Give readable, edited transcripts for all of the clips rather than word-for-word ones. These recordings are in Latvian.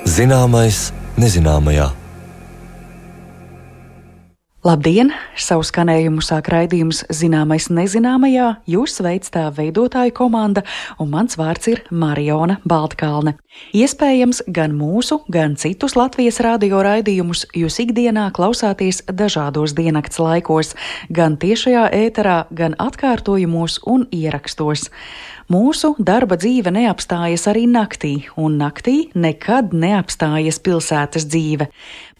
Zināmais nezināmajā. Labdien! Savu skanējumu sāk raidījums Zināmais nezināmajā, jūs veic tā veidotāju komanda, un mans vārds ir Mariona Baltkalne. Iespējams, gan mūsu, gan citus Latvijas radio raidījumus jūs ikdienā klausāties dažādos diennakts laikos, gan tiešajā ēterā, gan atkārtojumos un ierakstos. Mūsu darba dzīve neapstājas arī naktī, un naktī nekad neapstājas pilsētas dzīve.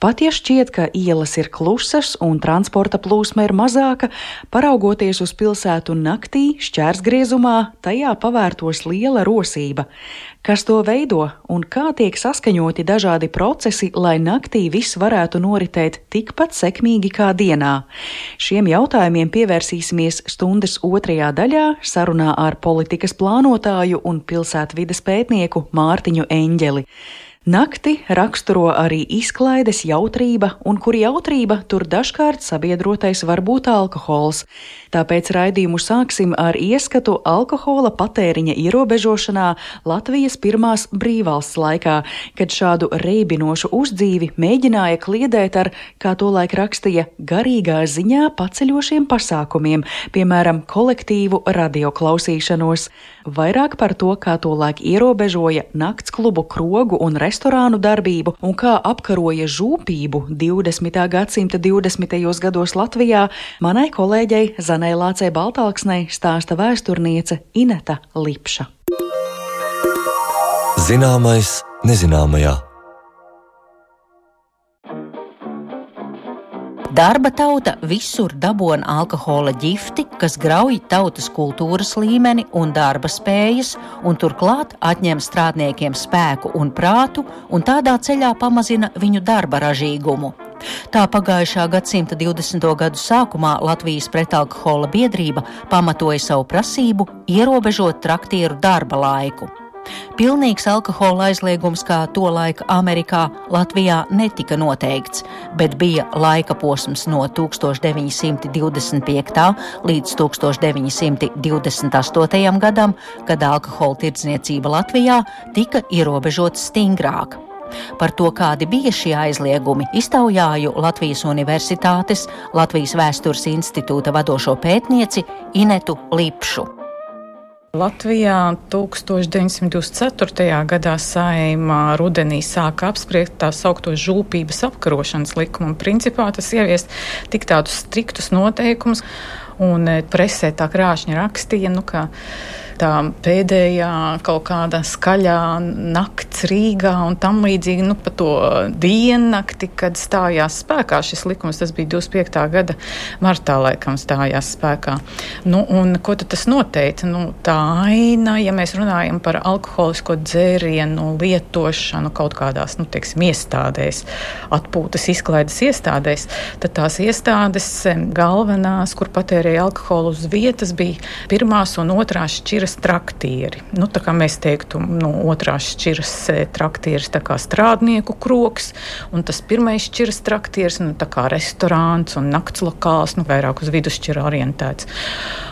Pat ja šķiet, ka ielas ir klusas un transporta plūsma ir mazāka, paraugoties uz pilsētu naktī, šķērsgriezumā, tajā pavērtos liela rosība. Kas to veido un kā tiek saskaņoti dažādi procesi, lai naktī viss varētu noritēt tikpat sekmīgi kā dienā? Šiem jautājumiem pievērsīsimies stundas otrajā daļā sarunā ar politikas plānotāju un pilsētvides pētnieku Mārtiņu Eņģeli. Nakti raksturo arī izklaides jautrība, un kur jautrība, tur dažkārt sabiedrotais var būt alkohols. Tāpēc raidījumu sāksim ar ieskatu alkohola patēriņa ierobežošanā Latvijas pirmās brīvvalsts laikā, kad šādu reibinošu uzdzīvi mēģināja kliedēt ar, kā tolaik rakstīja, garīgā ziņā paceļošiem pasākumiem, piemēram, kolektīvu radioklausīšanos. Vairāk par to, kā tolaik ierobežoja naktsklubu, krogu un restorānu darbību un kā apkaroja žūpību 20. gadsimta 20. gados Latvijā, manai kolēģei Zanei Lācei Baltalksnei stāsta vēsturniece Ineta Lipša. Zināmais nezināmajā. Darba tauta visur dabona alkohola ģifti, kas grauj tautas kultūras līmeni un darba spējas, un turklāt atņem strādniekiem spēku un prātu, un tādā ceļā pamazina viņu darba ražīgumu. Tā pagājušā gadsimta 20. gadu sākumā Latvijas pretalkohola biedrība pamatoja savu prasību ierobežot traktieru darba laiku. Pilnīgs alkohola aizliegums, kā tolaik Amerikā, Latvijā netika noteikts, bet bija laika posms no 1925. līdz 1928. gadam, kad alkohola tirdzniecība Latvijā tika ierobežota stingrāk. Par to, kādi bija šie aizliegumi, iztaujāju Latvijas Universitātes, Latvijas Vēstures institūta vadošo pētnieci Inetu Lipšu. Latvijā 1924. gadā Saeima rudenī sāka apspriest tā saukto žūpības apkarošanas likumu. Principā tas ieviest tik tādus striktus noteikumus, un presē tā krāšņi rakstīja, ka tā pēdējā kaut kāda skaļā nakts Rīgā un tam līdzīgi, pa to diennakti, kad stājās spēkā šis likums, tas bija 25. gada martā laikam stājās spēkā. Un ko tad tas noteica? Tā aina, ja mēs runājam par alkoholisko dzērienu lietošanu kaut kādās, iestādēs, atpūtas izklaides iestādēs, tad tās iestādes galvenās, kur patērēja alkoholu uz vietas, bija pirmās un otrās šķiras traktieri. Tā kā mēs teiktu, otrās šķiras traktieris tā kā strādnieku krogs, un tas pirmais šķiras traktieris, tā kā restorāns un naktslokāls, vairāk uz vidusšķira orientēts.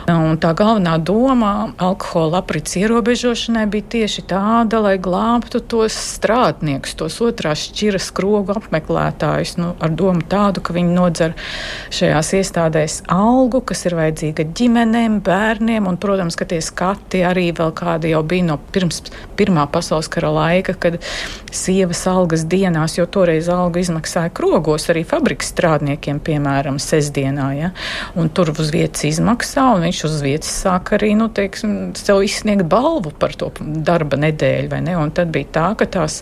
Un tā galvenā doma alkohola aprits ierobežošanai bija tieši tāda, lai glābtu tos strādniekus, tos otrās šķiras krogu apmeklētājus, ar domu tādu, ka viņi nodzer šajās iestādēs algu, kas ir vajadzīga ģimenēm, bērniem, un, protams, ka tie skati arī vēl kādi jau bija no pirms Pirmā pasaules kara laika, kad sievas algas dienās, jo toreiz algu izmaksāja krogos arī fabrikas strādniekiem, piemēram, sestdienā, ja? Un tur uz vietas izmaksā, un viņš uz vietas sāk arī, sev izsniegt balvu par to darba nedēļu, vai ne? Un tad bija tā, ka tās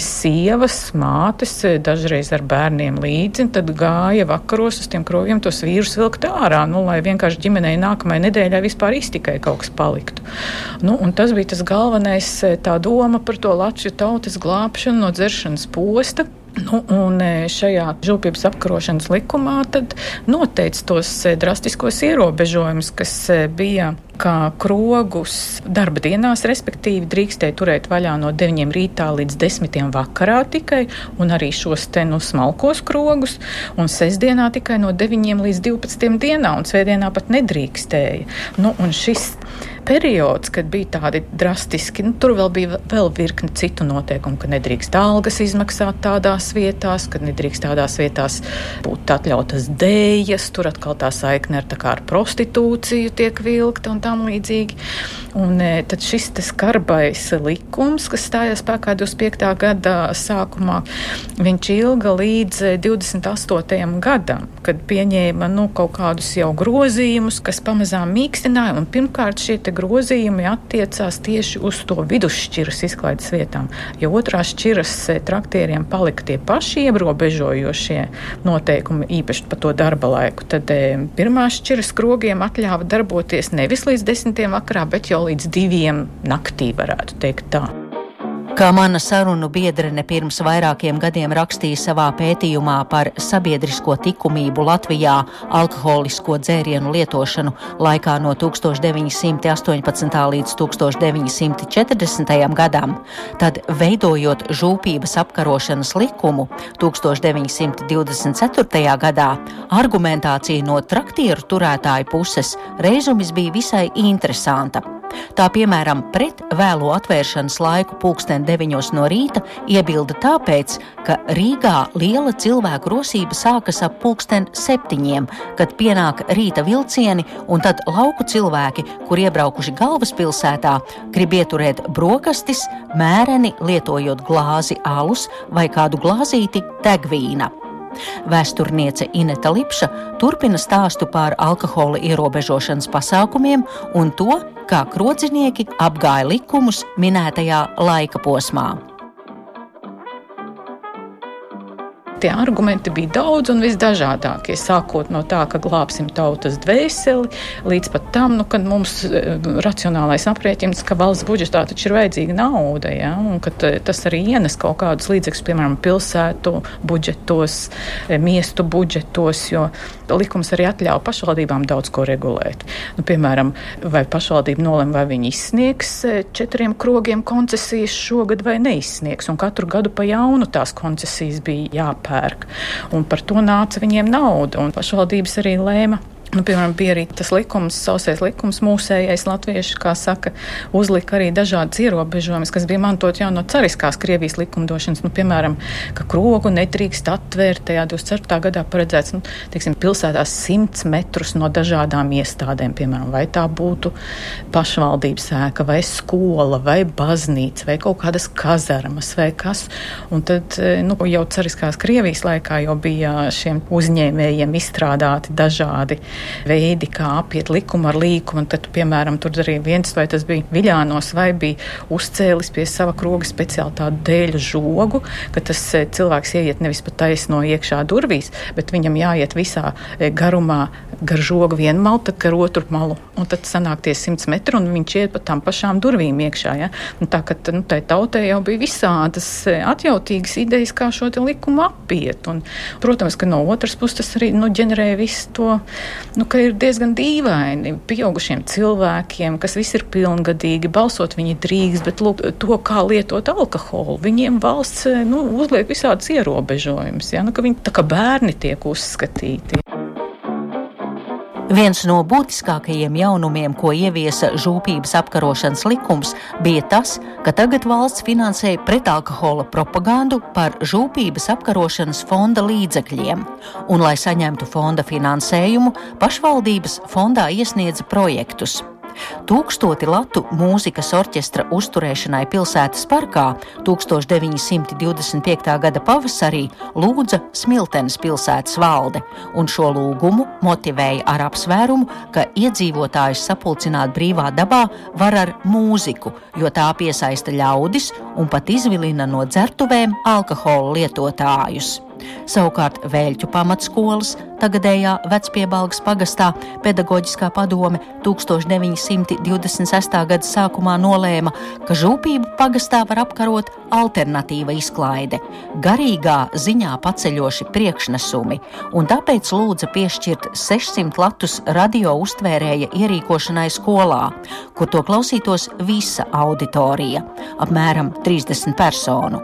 sievas, mātes, dažreiz ar bērniem līdzi, tad gāja vakaros uz tiem krogiem tos vīrus vilkt ārā, lai vienkārši ģimenei nākamajai nedēļai vispār iztikai kaut kas paliktu. Un tas bija tas galvenais, tā doma par to Latviju tautas glābšanu no dzeršanas posta. Un šajā žūpības apkarošanas likumā tad noteica tos drastiskos ierobežojumus, kas bija kā krogus darba dienās, respektīvi drīkstēja turēt vaļā no 9 rītā līdz 10 vakarā tikai, un arī šos smalkos krogus, un sestdienā tikai no 9 līdz 12 dienā, un svētdienā pat nedrīkstēja. Un šis periods, kad bija tādi drastiski, tur vēl bija virkni citu noteikumu, ka nedrīkst algas izmaksāt tādās vietās, kad nedrīkst tādās vietās būt atļautas dējas, tur atkal tā saikne ar prostitūciju tiek vilkta un tam līdzīgi. Un tad šis skarbais likums, kas stājās spēkā 25. gada sākumā, viņš ilga līdz 28. gadam, kad pieņēma kaut kādus jau grozījumus, kas pamazām mīkstināja, un pirmkārt šie grozījumi attiecās tieši uz to vidusšķiras izklaides vietām, jo otrās šķiras traktieriem palika tie paši ierobežojošie noteikumi, īpaši par to darba laiku. Tad pirmās šķiras krogiem atļāva darboties nevis līdz 10. vakarā, bet jau līdz 2 naktī, varētu teikt tā. Kā mana sarunu biedrene pirms vairākiem gadiem rakstīja savā pētījumā par sabiedrisko likumību Latvijā alkoholisko dzērienu lietošanu laikā no 1918. līdz 1940. gadam, tad veidojot žūpības apkarošanas likumu 1924. gadā, argumentācija no traktieru turētāju puses reizumis bija visai interesanta. Tā, piemēram, pret vēlo atvēršanas laiku 9:00 no rīta iebilda tāpēc, ka Rīgā liela cilvēku rosība sākas ap 7:00, kad pienāk rīta vilcieni, un tad lauku cilvēki, kur iebraukuši galvaspilsētā, grib ieturēt brokastis, mēreni lietojot glāzi alus vai kādu glāzīti degvīna. Vēsturniece Ineta Lipša turpina stāstu par alkohola ierobežošanas pasākumiem un to, kā krodzinieki apgāja likumus minētajā laika posmā. Tie argumenti bija daudz un visdažādākie, sākot no tā, ka glābsim tautas dvēseli, līdz pat tam, kad mums racionālais aprēķins, ka valsts budžetā taču ir vajadzīga nauda, ja? Un ka tas arī ienes kaut kādus līdzekļus, piemēram, pilsētu budžetos, miestu budžetos, jo likums arī atļauj pašvaldībām daudz ko regulēt. Piemēram, vai pašvaldība nolem, vai viņi izsniegs 4 krogiem koncesijas šogad vai neizsniegs, un katru gadu pa jaunu tās koncesijas bija jāpērk. Un par to nāca viņiem nauda, un pašvaldības arī lēma. Piemēram, bija arī tas likums, sausais likums, mūsējais latvieši, kā saka, uzlika arī dažādas ierobežojumus, kas bija mantot jau no cariskās Krievijas likumdošanas. Piemēram, ka krogu nedrīkst atvērt, tajā 24. gadā paredzēts, pilsētās 100 metrus no dažādām iestādēm, piemēram, vai tā būtu pašvaldības ēka, vai skola, vai baznīca, vai kaut kādas kazarmas, vai kas. Un tad, jau cariskās Krievijas laikā jau bija šiem uzņēmējiem izstrādāti dažādi veidi, kā apiet likumu ar līkumu, un tad, piemēram, tur arī viens, vai tas bija Viļānos, vai bija uzcēlis pie sava kroga speciāli tādu dēļu žogu, ka tas cilvēks ieiet nevis pa taisno iekšā durvīs, bet viņam jāiet visā garumā gar žogu vienu malu, tad gar otru malu, un tad sanāk tie 100 metri, un viņš iet pa tām pašām durvīm iekšā, ja? Un tā, ka tai tautai jau bija visādas atjautīgas idejas, kā šo te likumu apiet, un, protams, ka no otras puses tas arī, ģenerēja visu to, ka ir diezgan dīvaini pieaugušiem cilvēkiem, kas visi ir pilngadīgi, balsot viņi drīkst, bet lūk, to, kā lietot alkoholu, viņiem valsts uzliek visādas ierobežojumus, ja? Ka viņi tā kā bērni tiek uzskatīti. Viens no būtiskākajiem jaunumiem, ko ieviesa žūpības apkarošanas likums, bija tas, ka tagad valsts finansēja pretalkohola propagandu par žūpības apkarošanas fonda līdzekļiem. Un, lai saņemtu fonda finansējumu, pašvaldības fondā iesniedza projektus. 1000 latu mūzikas orķestra uzturēšanai pilsētas parkā 1925. gada pavasarī lūdza Smiltenes pilsētas valde, un šo lūgumu motivēja ar apsvērumu, ka iedzīvotājus sapulcināt brīvā dabā var ar mūziku, jo tā piesaista ļaudis un pat izvilina no dzertuvēm alkohola lietotājus. Savukārt Vēļķu pamatskolas, tagadējā Vecpiebalgas pagastā, pedagoģiskā padome 1926. gada sākumā nolēma, ka žūpību pagastā var apkarot alternatīva izklaide, garīgā ziņā paceļoši priekšnesumi, un tāpēc lūdza piešķirt 600 latus radio uztvērēja ierīkošanai skolā, kur to klausītos visa auditorija, apmēram 30 personu.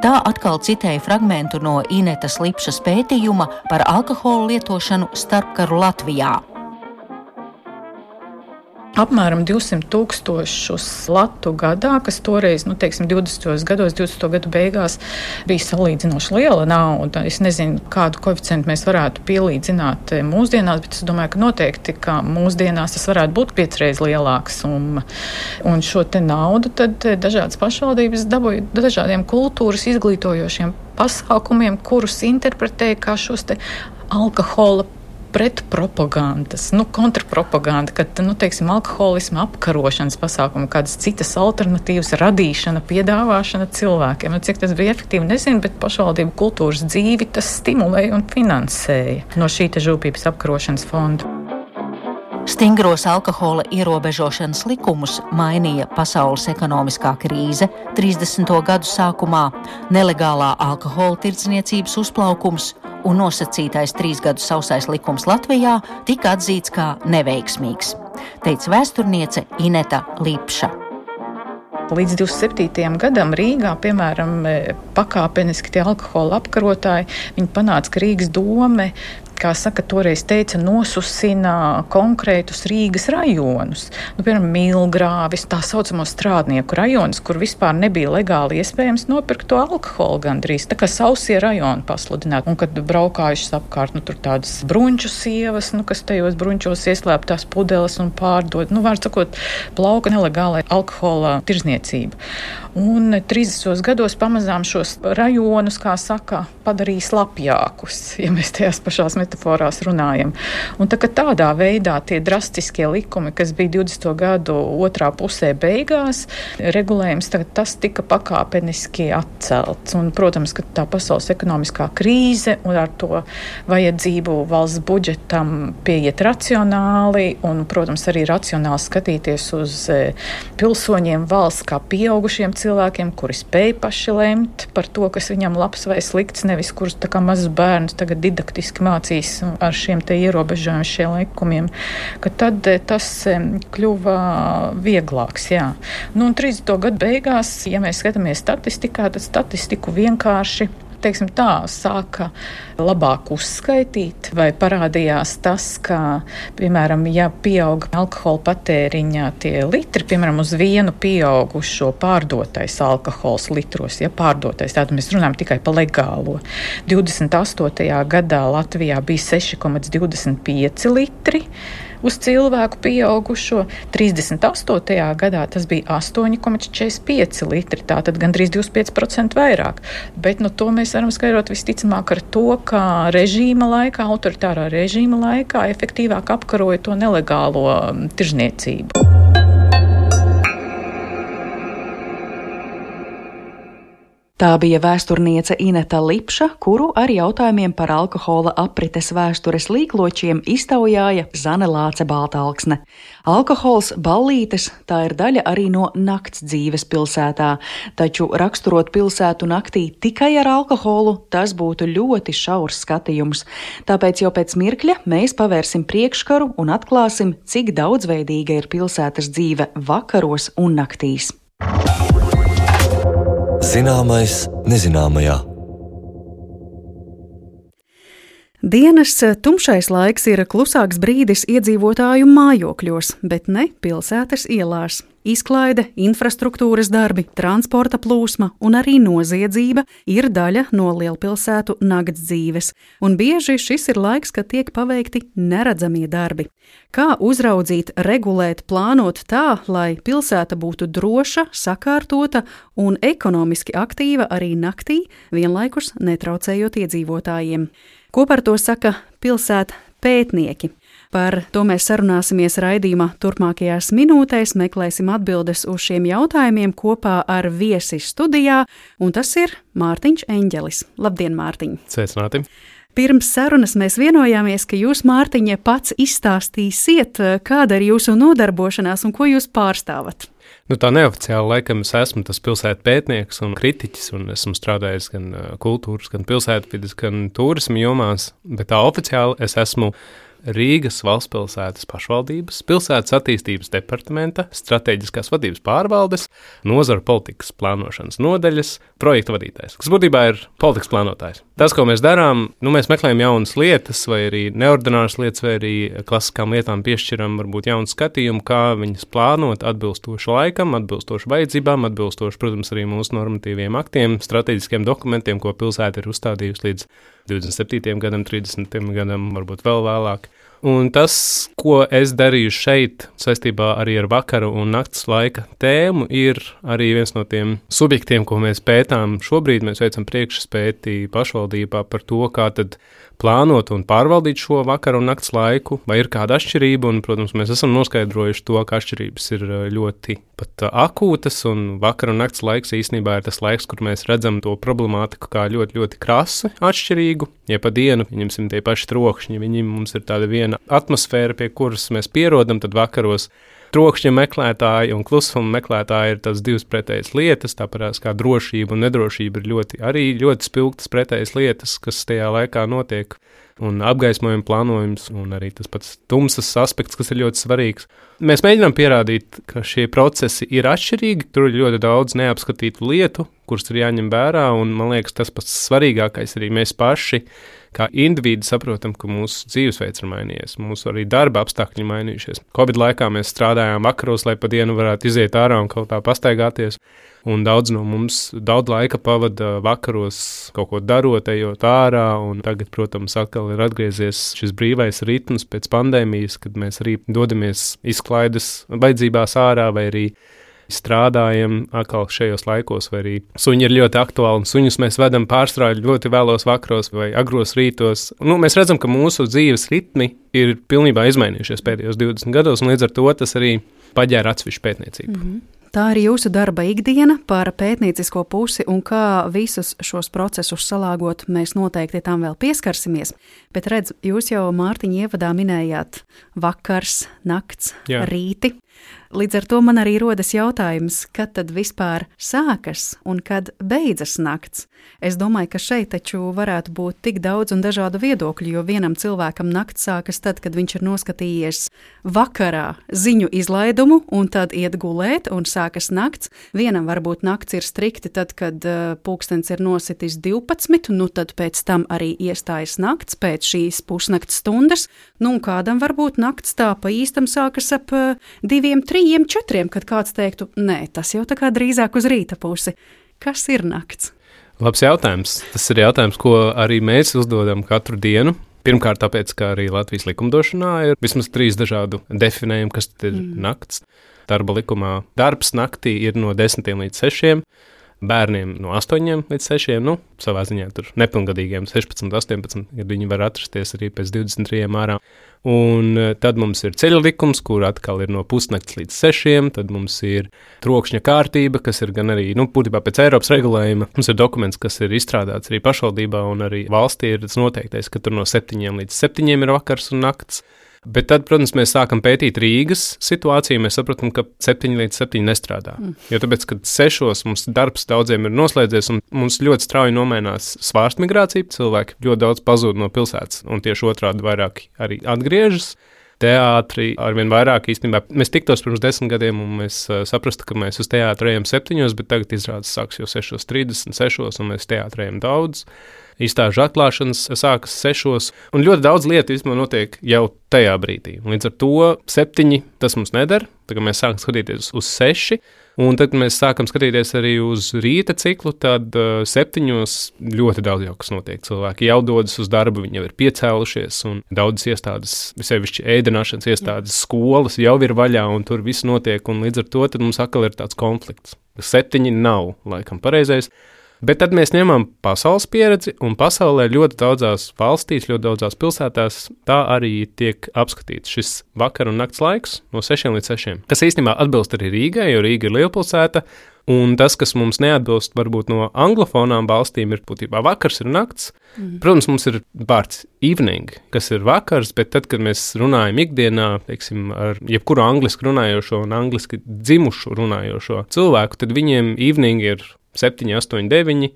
Tā atkal citēja fragmentu no Inetas Lipšas pētījuma par alkohola lietošanu starpkaru Latvijā. apmēram 200,000 latu gadā, kas toreiz, 20. gados, 20. gadu beigās bija salīdzinoši liela nauda. Es nezinu, kādu koeficientu mēs varētu pielīdzināt mūsdienās, bet es domāju, ka noteikti, ka mūsdienās tas varētu būt 5x lielāka summa. Un šo te naudu tad dažādas pašvaldības dabūja dažādiem kultūras izglītojošiem pasākumiem, kurus interpretēja kā šos te alkohola pretpropagandas, kontrapropaganda, kad, alkoholisma apkarošanas pasākumi, kādas citas alternatīvas radīšana, piedāvāšana cilvēkiem. Cik tas bija efektīvi, nezinu, bet pašvaldību kultūras dzīvi tas stimulēja un finansēja no šī te žūpības apkarošanas fonda. Stingros alkohola ierobežošanas likumus mainīja pasaules ekonomiskā krīze 30. gadu sākumā, nelegālā alkohola tirdzniecības uzplaukums un nosacītais 3 gadu sausais likums Latvijā tika atzīts kā neveiksmīgs, teica vēsturniece Ineta Lipša. Līdz 27. gadam Rīgā, piemēram, pakāpeniski tie alkohola apkarotāji, viņi panāca, ka Rīgas dome, kā saka, toreiz teica, nosusina konkrētus Rīgas rajonus. Piemēram, Milgrāvis, tā saucamo strādnieku rajonus, kur vispār nebija legāli iespējams nopirkt to alkoholu gandrīz. Tā kā sausie rajoni pasludināti. Un kad braukājušas apkārt, tur tādas bruņču sievas, kas tajos bruņčos ieslēptās pudeles un pārdod. Vārds sakot, plauka nelegālai alkohola tirzniecība. Un 30. gados pamazām šos rajonus, kā saka, padarīja slapjākus, ja mēs tajās pašās metaforās runājam. Un tādā veidā tie drastiskie likumi, kas bija 20. gadu otrā pusē beigās, regulējums, tas tika pakāpeniski atcelts. Un, protams, ka tā pasaules ekonomiskā krīze un ar to vajadzību valsts budžetam pieiet racionāli un, protams, arī racionāli skatīties uz pilsoņiem valsts kā pieaugušiem cilvēkiem, kuri spēj paši lemt par to, kas viņam labs vai slikts, nevis kurus tā kā mazus bērnus tagad didaktiski mācīs ar šiem te ierobežojumiem, šiem likumiem, ka tad tas kļuva vieglāks, jā. Un 30. gadu beigās, ja mēs skatāmies statistikā, tad statistiku vienkārši sāka labāk uzskaitīt, vai parādījās tas, ka, piemēram, ja pieauga alkohola patēriņā tie litri, piemēram, uz vienu pieaugušo pārdotais alkohols litros, pārdotais, tātad mēs runājam tikai par legālo. 28. gadā Latvijā bija 6,25 litri uz cilvēku pieaugušo, 38. gadā tas bija 8,45 litri, tātad gandrīz 25% vairāk. Bet to mēs varam skaidrot visticamāk ar to, ka režīma laikā, autoritārā režīma laikā efektīvāk apkaroja to nelegālo tirzniecību. Tā bija vēsturniece Ineta Lipša, kuru ar jautājumiem par alkohola aprites vēstures līkločiem iztaujāja Zane Lāce Baltalksne. Alkohols, ballītes, tā ir daļa arī no nakts dzīves pilsētā, taču raksturot pilsētu naktī tikai ar alkoholu, tas būtu ļoti šaurs skatījums. Tāpēc jau pēc mirkļa mēs pavērsim priekškaru un atklāsim, cik daudzveidīga ir pilsētas dzīve vakaros un naktīs. Zināmais nezināmajā. Dienas tumšais laiks ir klusāks brīdis iedzīvotāju mājokļos, bet ne pilsētas ielās. Izklaide, infrastruktūras darbi, transporta plūsma un arī noziedzība ir daļa no lielpilsētu nakts dzīves, un bieži šis ir laiks, kad tiek paveikti neredzamie darbi. Kā uzraudzīt, regulēt, plānot tā, lai pilsēta būtu droša, sakārtota un ekonomiski aktīva arī naktī, vienlaikus netraucējot iedzīvotājiem. Ko par to saka pilsētu pētnieki? Par to mēs sarunāsimies raidījuma turpmākajās minūtēs, meklēsim atbildes uz šiem jautājumiem kopā ar viesi studijā, un tas ir Mārtiņš Eņģelis. Labdien, Mārtiņ! Sveicināti! Pirms sarunas mēs vienojāmies, ka jūs, Mārtiņa, pats izstāstīsiet, kāda ir jūsu nodarbošanās un ko jūs pārstāvat. Tā neoficiāli laikam es esmu tas pilsētu pētnieks un kritiķis, un esmu strādājis gan kultūras, gan pilsētvides, gan turisma jomās, bet tā oficiāli es esmu Rīgas valstspilsētas pašvaldības, pilsētas attīstības departamenta, stratēģiskās vadības pārvaldes, nozaru politikas plānošanas nodaļas projekta vadītājs, kas būtībā ir politikas plānotājs. Tas, ko mēs darām, mēs meklējam jaunas lietas, vai arī neordināras lietas, vai arī klasiskām lietām piešķiram varbūt jaunu skatījumu, kā viņas plānot atbilstoši laikam, atbilstoši vajadzībām, atbilstoši, protams, arī mūsu normatīviem aktiem, strateģiskiem dokumentiem, ko pilsēta ir uzstādījusi līdz 27. gadam, 30. gadam, varbūt vēl vēlāk. Un tas, ko es darīju šeit saistībā arī ar vakara un nakts laika tēmu, ir arī viens no tiem subjektiem, ko mēs pētām. Šobrīd mēs veicam priekšspēti pašvaldībā par to, kā tad plānot un pārvaldīt šo vakara un nakts laiku, vai ir kāda atšķirība, un, protams, mēs esam noskaidrojuši to, ka atšķirības ir ļoti pat akūtas, un vakara un nakts laiks īstenībā ir tas laiks, kur mēs redzam to problemātiku kā ļoti, ļoti krasi atšķirīgu. Ja pa dienu, ņemsim tie paši trokšņi, mums ir tāda viena atmosfēra, pie kuras mēs pierodam, tad vakaros trokšņa meklētāji un klusuma meklētāji ir tās divas pretējas lietas, tāpēc kā drošība un nedrošība ir ļoti spilgtas pretējas lietas, kas tajā laikā notiek, un apgaismojuma plānojums, un arī tas pats tumsas aspekts, kas ir ļoti svarīgs. Mēs mēģinām pierādīt, ka šie procesi ir atšķirīgi, tur ir ļoti daudz neapskatītu lietu, kuras ir jāņem vērā, un man liekas, tas pats svarīgākais arī mēs paši, kā individi saprotam, ka mūsu dzīvesveids ir mainījies, mūsu arī darba apstākļi mainījušies. Covid laikā mēs strādājām vakaros, lai pa dienu varētu iziet ārā un kaut tā pastaigāties, un daudz no mums daudz laika pavada vakaros kaut ko darot, ejot ārā, un tagad, protams, atkal ir atgriezies šis brīvais ritms pēc pandēmijas, kad mēs arī dodamies izklaides vajadzībās ārā, vai arī strādājam atkal šajos laikos, vai arī suņi ir ļoti aktuāli, un suņus mēs vedam pārstrāļu ļoti vēlos vakaros vai agros rītos. Mēs redzam, ka mūsu dzīves ritmi ir pilnībā izmainījušies pēdējos 20 gados, un līdz ar to tas arī paģēra atsevišķu pētniecību. Tā ir jūsu darba ikdiena par pētniecisko pusi, un kā visus šos procesus salāgot, mēs noteikti tam vēl pieskarsimies. Bet redz, jūs jau, Mārtiņa, ievadā minējāt vakars, nakts, rīti. Līdz ar to man arī rodas jautājums, kad tad vispār sākas un kad beidzas nakts. Es domāju, ka šeit taču varētu būt tik daudz un dažādu viedokļu, jo vienam cilvēkam nakts sākas tad, kad viņš ir noskatījies vakarā ziņu izlaidumu un tad iet gulēt un sākas nakts. Vienam varbūt nakts ir strikti tad, kad pulkstens ir nositis 12, tad pēc tam arī iestājas nakts pēc šīs pusnakts stundas, un kādam varbūt nakts tā pa īstam sākas ap 2, 3, 4, kad kāds teiktu, nē, tas jau tā kā drīzāk uz rīta pusi. Kas ir nakts? Labs jautājums. Tas ir jautājums, ko arī mēs uzdodam katru dienu. Pirmkārt, tāpēc, ka arī Latvijas likumdošanā ir vismaz 3 dažādu definējumi, kas tad ir nakts. Darba likumā darbs naktī ir no 10 līdz 6, bērniem no 8 līdz 6, savā ziņā tur nepilngadīgiem 16, 18, kad viņi var atrasties arī pēc 23 ārā. Un tad mums ir ceļa likums, kur atkal ir no pusnakts līdz 6, tad mums ir trokšņa kārtība, kas ir gan arī, būtībā pēc Eiropas regulējuma. Mums ir dokuments, kas ir izstrādāts arī pašvaldībā un arī valstī ir tas noteiktais, ka tur no 7 līdz 7 ir vakars un nakts. Bet tad, protams, mēs sākam pētīt Rīgas situāciju, mēs sapratam, ka 7 līdz 7 nestrādā. Jo tāpēc, kad 6 mums darbs daudziem ir noslēdzies un mums ļoti strauji nomainās svārstmigrācija, cilvēki ļoti daudz pazūd no pilsētas un tieši otrādi vairāk arī atgriežas. Teātri arvien vairāk īstenībā. Mēs tiktos pirms 10 gadiem un mēs saprastu, ka mēs uz teātru ejam 7, bet tagad izrādes sāks jau 6:30, 6, un mēs teātru ejam daudz. Izstāžu atklāšanas sākas 6, un ļoti daudz lietu īstenībā notiek jau tajā brīdī. Līdz ar to 7 tas mums nedara, tagad mēs sākam skatīties uz 6, un tad, kad mēs sākam skatīties arī uz rīta ciklu, tad 7 ļoti daudz jau kas notiek. Cilvēki jau dodas uz darbu, viņi jau ir piecēlušies, un daudzas iestādes, sevišķi ēdināšanas iestādes, skolas jau ir vaļā, un tur viss notiek, un līdz ar to tad mums atkal ir tāds konflikts. 7 nav laikam pareizais. Bet tad mēs ņemam pasaules pieredzi, un pasaulē ļoti daudzās valstīs, ļoti daudzās pilsētās tā arī tiek apskatīts šis vakar un nakts laiks no 6 līdz 6, kas īstenībā atbilst arī Rīgai, jo Rīga ir lielpilsēta, un tas, kas mums neatbilst varbūt no anglofonām valstīm, ir būtībā vakars ir nakts. Protams, mums ir vārds evening, kas ir vakars, bet tad, kad mēs runājam ikdienā, teiksim, ar jebkuru angliski runājošo un angliski dzimušu runājošo cilvēku, tad viņiem evening ir 7, 8, 9,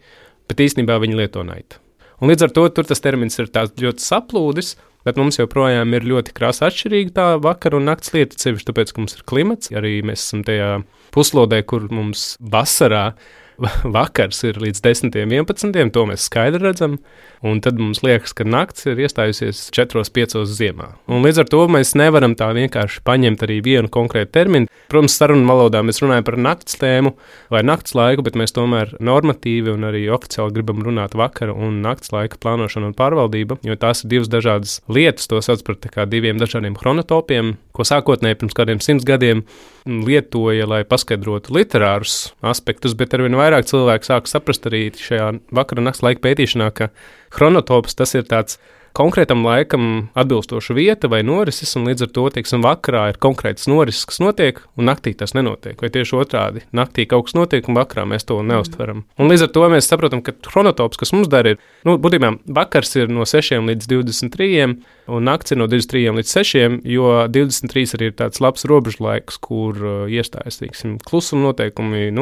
bet īstenībā viņi lieto night. Un līdz ar to tur tas termins ir tāds ļoti saplūdis, bet mums joprojām ir ļoti krāsa atšķirīga tā vakara un nakts lieta, sevišķi tāpēc, ka mums ir klimats. Arī mēs esam tajā puslodē, kur mums vasarā vakars ir līdz 10, 11, to mēs skaidri redzam, un tad mums liekas, ka nakts ir iestājusies 4, 5 ziemā. Un līdz ar to mēs nevaram tā vienkārši paņemt arī vienu konkrētu terminu. Protams, sarunu valodā mēs runājam par nakts tēmu vai nakts laiku, bet mēs tomēr normatīvi un arī oficiāli gribam runāt vakara un nakts laika plānošana un pārvaldība, jo tās ir divas dažādas lietas, to sauc par tā kā diviem dažādiem chronotopiem, ko sākotnēji pirms kādiem 100 gadiem lietoja, lai paskaidrotu literārus aspektus, bet arvien vairāk cilvēki sāk saprast arī šajā vakara nakts laika pētīšanā, ka chronotops tas ir tāds konkrētam laikam atbilstoša vieta vai norises, un līdz ar to, teiksim, vakarā ir konkrētas norises, kas notiek, un naktī tas nenotiek, vai tieši otrādi. Naktī kaut kas notiek, un vakarā mēs to neuztveram. Un līdz ar to mēs saprotam, ka chronotops, kas mums dara, ir, būtībā vakars ir no 6 līdz 23, un nakts ir no 23 līdz 6, jo 23 arī ir tāds labs robežlaiks, kur iestājas, teiksim, klusuma noteikumi,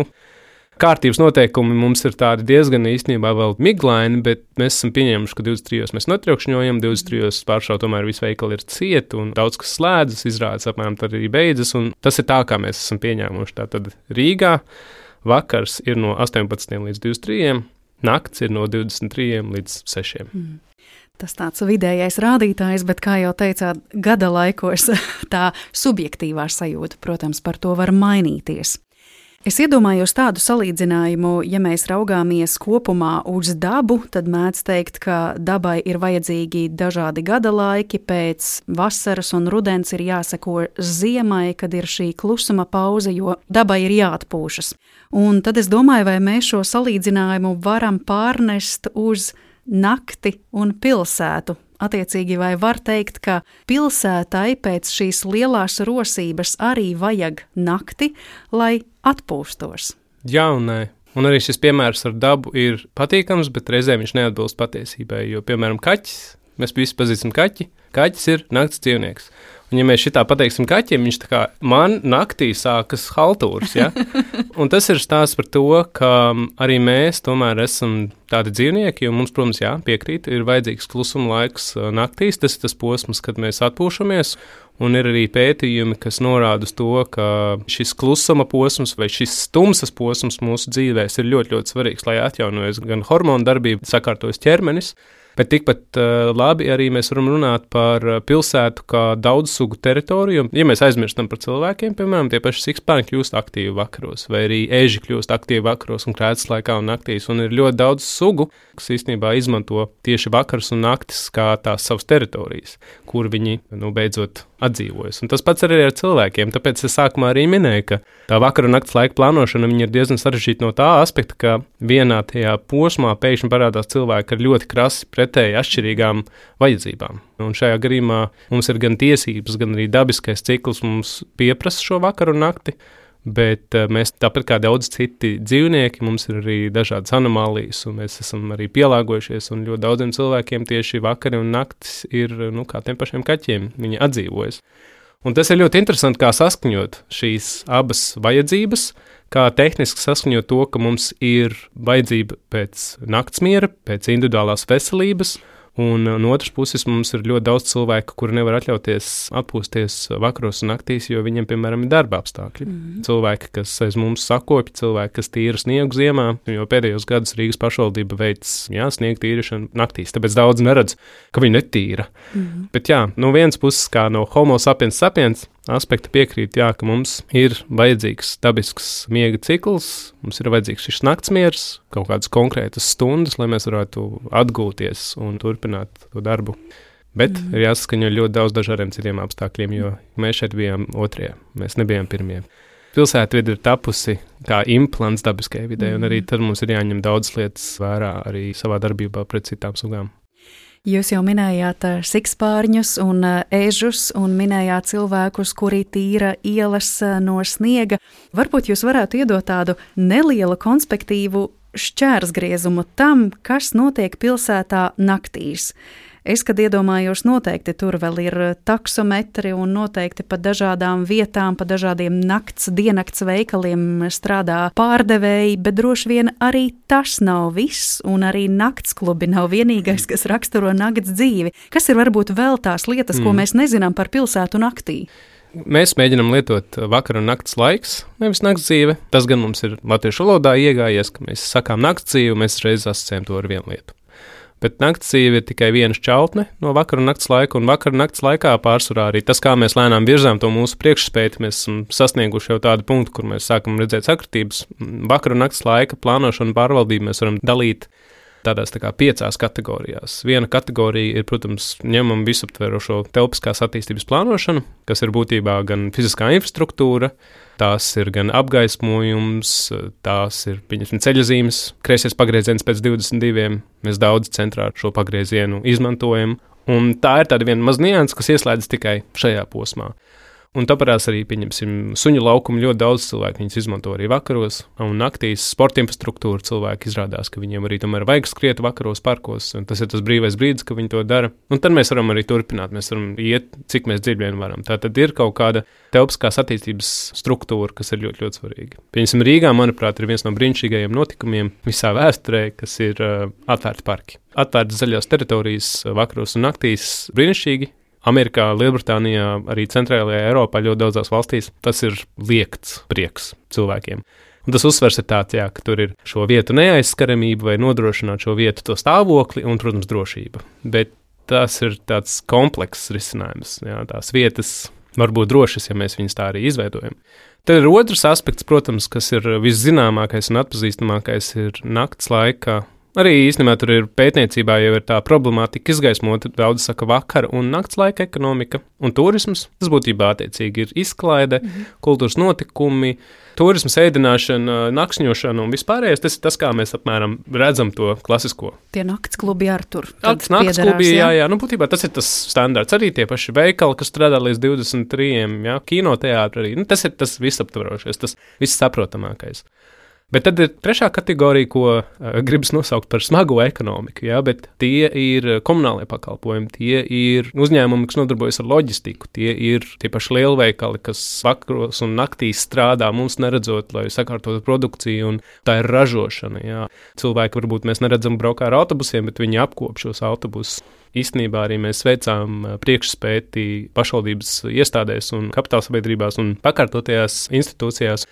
kārtības noteikumi mums ir tādi diezgan īstenībā vēl miglaini, bet mēs esam pieņēmuši, ka 23 mēs notriekšņojam, 23 pāršā tomēr visi veikali ir cieti un daudz kas slēdzas, izrādes apmēram tad arī beidzas, un tas ir tā, kā mēs esam pieņēmuši. Tātad Rīgā vakars ir no 18 līdz 23, nakts ir no 23 līdz 6. Tas tāds vidējais rādītājs, bet, kā jau teicāt, gada laikos tā subjektīvā sajūta, protams, par to var mainīties. Es iedomājos tādu salīdzinājumu, ja mēs raugāmies kopumā uz dabu, tad mēdz teikt, ka dabai ir vajadzīgi dažādi gada laiki, pēc vasaras un rudens ir jāseko ziemai, kad ir šī klusuma pauze, jo dabai ir jāatpūšas. Un tad es domāju, vai mēs šo salīdzinājumu varam pārnest uz nakti un pilsētu. Attiecīgi, vai var teikt, ka pilsētai pēc šīs lielās rosības arī vajag nakti, lai atpūstos? Jā un nē. Un arī šis piemērs ar dabu ir patīkams, bet reizē viņš neatbilst patiesībai, jo, piemēram, kaķis, mēs visi pazīstam kaķi, kaķis ir nakts dzīvnieks. Un ja mēs šitā pateiksim kaķiem, viņš tā kā man naktī sākas haltūras, ja? Un tas ir stāsts par to, ka arī mēs tomēr esam tādi dzīvnieki, jo mums, protams, piekrīt, ir vajadzīgs klusuma laiks naktīs, tas ir tas posms, kad mēs atpūšamies, un ir arī pētījumi, kas norāda uz to, ka šis klusuma posms vai šis tumsas posms mūsu dzīvēs ir ļoti, ļoti svarīgs, lai atjaunojas gan hormonu darbība, sakārtojas ķermenis, bet tikpat labi arī mēs varam runāt par pilsētu kā daudzsugu teritoriju. Ja mēs aizmirstam par cilvēkiem, piemēram, tie paši sikspārņi kļūst aktīvi vakaros, vai arī eži kļūst aktīvi vakaros un krētas laikā un naktīs, un ir ļoti daudz sugu, kas īstenībā izmanto tieši vakars un naktis kā tās savas teritorijas, kur viņi, beidzot atdzīvojas. Un tas pats arī ar cilvēkiem, tāpēc es sākumā arī minēju, ka tā vakara un nakts laika plānošana ir diezgan sarežģīta no tā aspekta, ka vienā tajā posmā pēkšņi parādās cilvēki ar ļoti krasi pretēji atšķirīgām vajadzībām. Un šajā gadījumā mums ir gan tiesības, gan arī dabiskais cikls mums pieprasa šo vakaru un nakti, bet mēs tāpat kā daudz citi dzīvnieki, mums ir arī dažādas anomālijas, un mēs esam arī pielāgojušies, un ļoti daudziem cilvēkiem tieši vakari un naktis ir, kā tiem pašiem kaķiem, viņi atdzīvojas. Un tas ir ļoti interesanti, kā saskaņot šīs abas vajadzības, kā tehniski saskaņot to, ka mums ir vajadzība pēc naktsmiera, pēc individuālās veselības, un no otras puses mums ir ļoti daudz cilvēku, kuri nevar atļauties atpūsties vakaros un naktīs, jo viņiem, piemēram, ir darba apstākļi. Cilvēki, kas aiz mums sakopja, cilvēki, kas tīra sniegu ziemā, jo pēdējos gadus Rīgas pašvaldība veic sniegu tīrīšanu naktīs, tāpēc daudz neredz, ka viņi netīra. Bet no vienas puses, kā no homo sapiens sapiens aspekta piekrīt, ka mums ir vajadzīgs dabisks miega cikls, mums ir vajadzīgs šis naktsmiers, kaut kādas konkrētas stundas, lai mēs varētu atgūties un turpināt to darbu. Bet ir jāsaskaņo ļoti daudz dažādiem citiem apstākļiem, jo mēs šeit bijām otrie, mēs nebijām pirmie. Pilsētvide ir tapusi kā implants dabiskajai vidē, un arī tad mums ir jāņem daudz lietas vērā arī savā darbībā pret citām sugām. Jūs jau minējāt sikspārņus un ežus un minējāt cilvēkus, kuri tīra ielas no sniega. Varbūt jūs varētu iedot tādu nelielu konspektīvu šķērsgriezumu tam, kas notiek pilsētā naktīs. Es, kad iedomājos, noteikti tur vēl ir taksometri un noteikti pa dažādām vietām, pa dažādiem diennakts veikaliem strādā pārdevēji, bet droši vien arī tas nav viss, un arī naktsklubi nav vienīgais, kas raksturo nakts dzīvi. Kas ir varbūt vēl tās lietas, ko mēs nezinām par pilsētu naktī? Mēs mēģinām lietot vakara un nakts laiks, nevis nakts dzīve. Tas gan mums ir latviešu valodā iegājies, ka mēs sakām nakts dzīve, mēs reiz asociējam to ar vienu lietu. Bet nakts dzīve ir tikai viena šķautne no vakara un nakts laika, un vakara un nakts laikā pārsvarā arī tas, kā mēs lēnām virzām to mūsu priekšspēju, mēs esam sasnieguši jau tādu punktu, kur mēs sākam redzēt sakritības. Vakara un nakts laika plānošanu un pārvaldību mēs varam dalīt tādās 5 kategorijās. Viena kategorija ir, protams, ņemam visaptverošo telpiskās attīstības plānošanu, kas ir būtībā gan fiziskā infrastruktūra, tās ir gan apgaismojums, tās ir, pieņemsim, ceļazīmes, kreisais pagrieziens pēc 22, mēs daudz centrā šo pagriezienu izmantojam, un tā ir tāda viena maz nianses, kas ieslēdzas tikai šajā posmā. Un tāpēc arī, pieņemsim, suņu laukumu ļoti daudz cilvēku viņus izmanto arī vakaros, un naktīs sporta infrastruktūra cilvēki izrādās, ka viņiem arī tomēr vajag skriet vakaros parkos, un tas ir tas brīvais brīdis, ka viņi to dara. Un tad mēs varam arī turpināt, mēs varam iet, cik mēs dziļi vien varam. Tā tad ir kaut kāda telpiskās attīstības struktūra, kas ir ļoti, ļoti svarīga. Pieņemsim, Rīgā, manuprāt, ir viens no brīnišķīgajiem notikumiem visā vēsturē, kas ir atvērti parki. Atvērtas zaļās teritorijas vakaros un naktīs brīnišķīgi. Amerikā, Lielbritānijā, arī centrālajā Eiropā ļoti daudzās valstīs tas ir liekts prieks cilvēkiem. Un tas uzsvers ir tāds, ka tur ir šo vietu neaizskaramība vai nodrošināt šo vietu to stāvokli un, protams, drošība. Bet tas ir tāds komplekss risinājums. Jā, tās vietas var būt drošas, ja mēs viņas tā arī izveidojam. Tad ir otrs aspekts, protams, kas ir viszināmākais un atpazīstamākais, ir nakts laika. Arī īstenībā tur ir pētniecībā jau ir tā problemātika izgaismota, daudz saka vakara un nakts laika ekonomika un turisms. Tas būtībā attiecīgi ir izklaide, kultūras notikumi, turisms, ēdināšana, nakšņošana un vispārējais. Tas ir tas, kā mēs apmēram redzam to klasisko. Tie naktsklubi ar tur. Naktsklubi, jā. Būtībā tas ir tas standarts. Arī tie paši veikali, kas strādā līdz 23, kinoteātri arī. Tas ir tas visaptvarošais, tas vissaprotamākais. Bet tad ir trešā kategorija, ko gribas nosaukt par smago ekonomiku, bet tie ir komunālie pakalpojumi, tie ir uzņēmumi, kas nodarbojas ar loģistiku, tie ir tie paši lielveikali, kas vakaros un naktīs strādā mums neredzot, lai sakārtotu produkciju, un tā ir ražošana. Jā. Cilvēki varbūt mēs neredzam braukā ar autobusiem, bet viņi apkop šos autobusus. Īstenībā arī mēs veicām priekšspēti pašvaldības iestādēs un kapitālsabiedrībās un pakārtotajās institūcijās.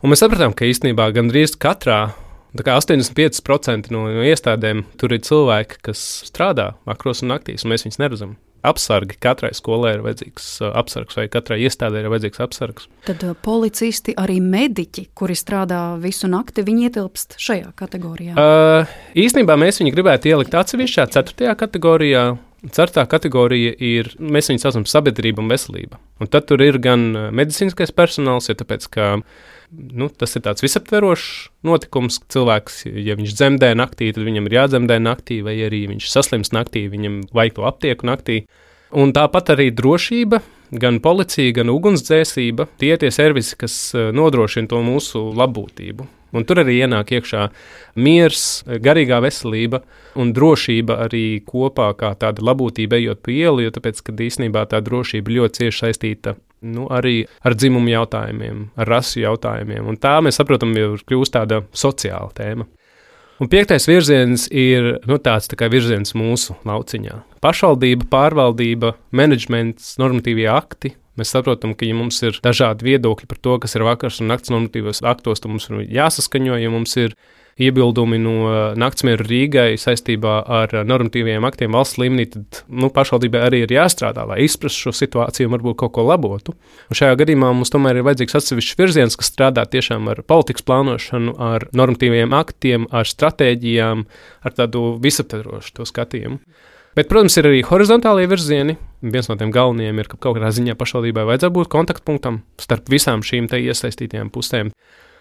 Un mēs sapratām, ka īstenībā gandrīz katrā, 85% no iestādēm tur ir cilvēki, kas strādā vakaros un naktīs, un mēs viņus neredzam. Apsargi, katrai skolai ir vajadzīgs apsargs, vai katrai iestādē ir vajadzīgs apsargs. Tad policisti, arī mediķi, kuri strādā visu nakti, viņi ietilpst šajā kategorijā? Īstenībā mēs viņu gribētu ielikt atsevišķā 4. kategorijā. 4. kategorija ir, mēs viņu saucam sabiedrība un veselība. Un tad tur ir gan medicīniskais personāls, jo tāpēc, ka tas ir tāds visaptverošs notikums. Cilvēks, ja viņš dzemdē naktī, tad viņam ir jādzemdē naktī, vai arī viņš saslims naktī, viņam vajag to aptieku naktī. Un tāpat arī drošība, gan policija, gan ugunsdzēsība, tie servisi, kas nodrošina to mūsu labbūtību. Un tur arī ienāk iekšā miers, garīgā veselība un drošība arī kopā kā tāda labbūtība ejot pa ielu, jo tāpēc, ka īstenībā tā drošība ļoti cieši saistīta arī ar dzimumu jautājumiem, ar rasu jautājumiem. Un tā mēs saprotam, jau kļūst tāda sociāla tēma. Un 5. virziens ir tāds tā kā virziens mūsu lauciņā. Pašvaldība, pārvaldība, menedžments, normatīvie akti. Mēs saprotam, ka ja mums ir dažādi viedokļi par to, kas ir vakars un nakts normatīvos aktos, tad mums ir jāsaskaņo, ja mums ir iebildumi no Naktsmiera Rīgai saistībā ar normatīviem aktiem valsts līmenī, tad pašvaldībai arī ir jāstrādā, lai izprastu šo situāciju un varbūt kaut ko labotu. Un šajā gadījumā mums tomēr ir vajadzīgs atsevišķs virziens, kas strādā tiešām ar politikas plānošanu, ar normatīviem aktiem, ar stratēģijām, ar tādu visaptverošu to skatījumu. Bet, protams, ir arī horizontālie virzieni. Viens no tiem galvenajiem ir, ka kaut kādā ziņā pašvaldībai vajadzētu būt kontaktpunktam starp visām šīm iesaistītajām pusēm.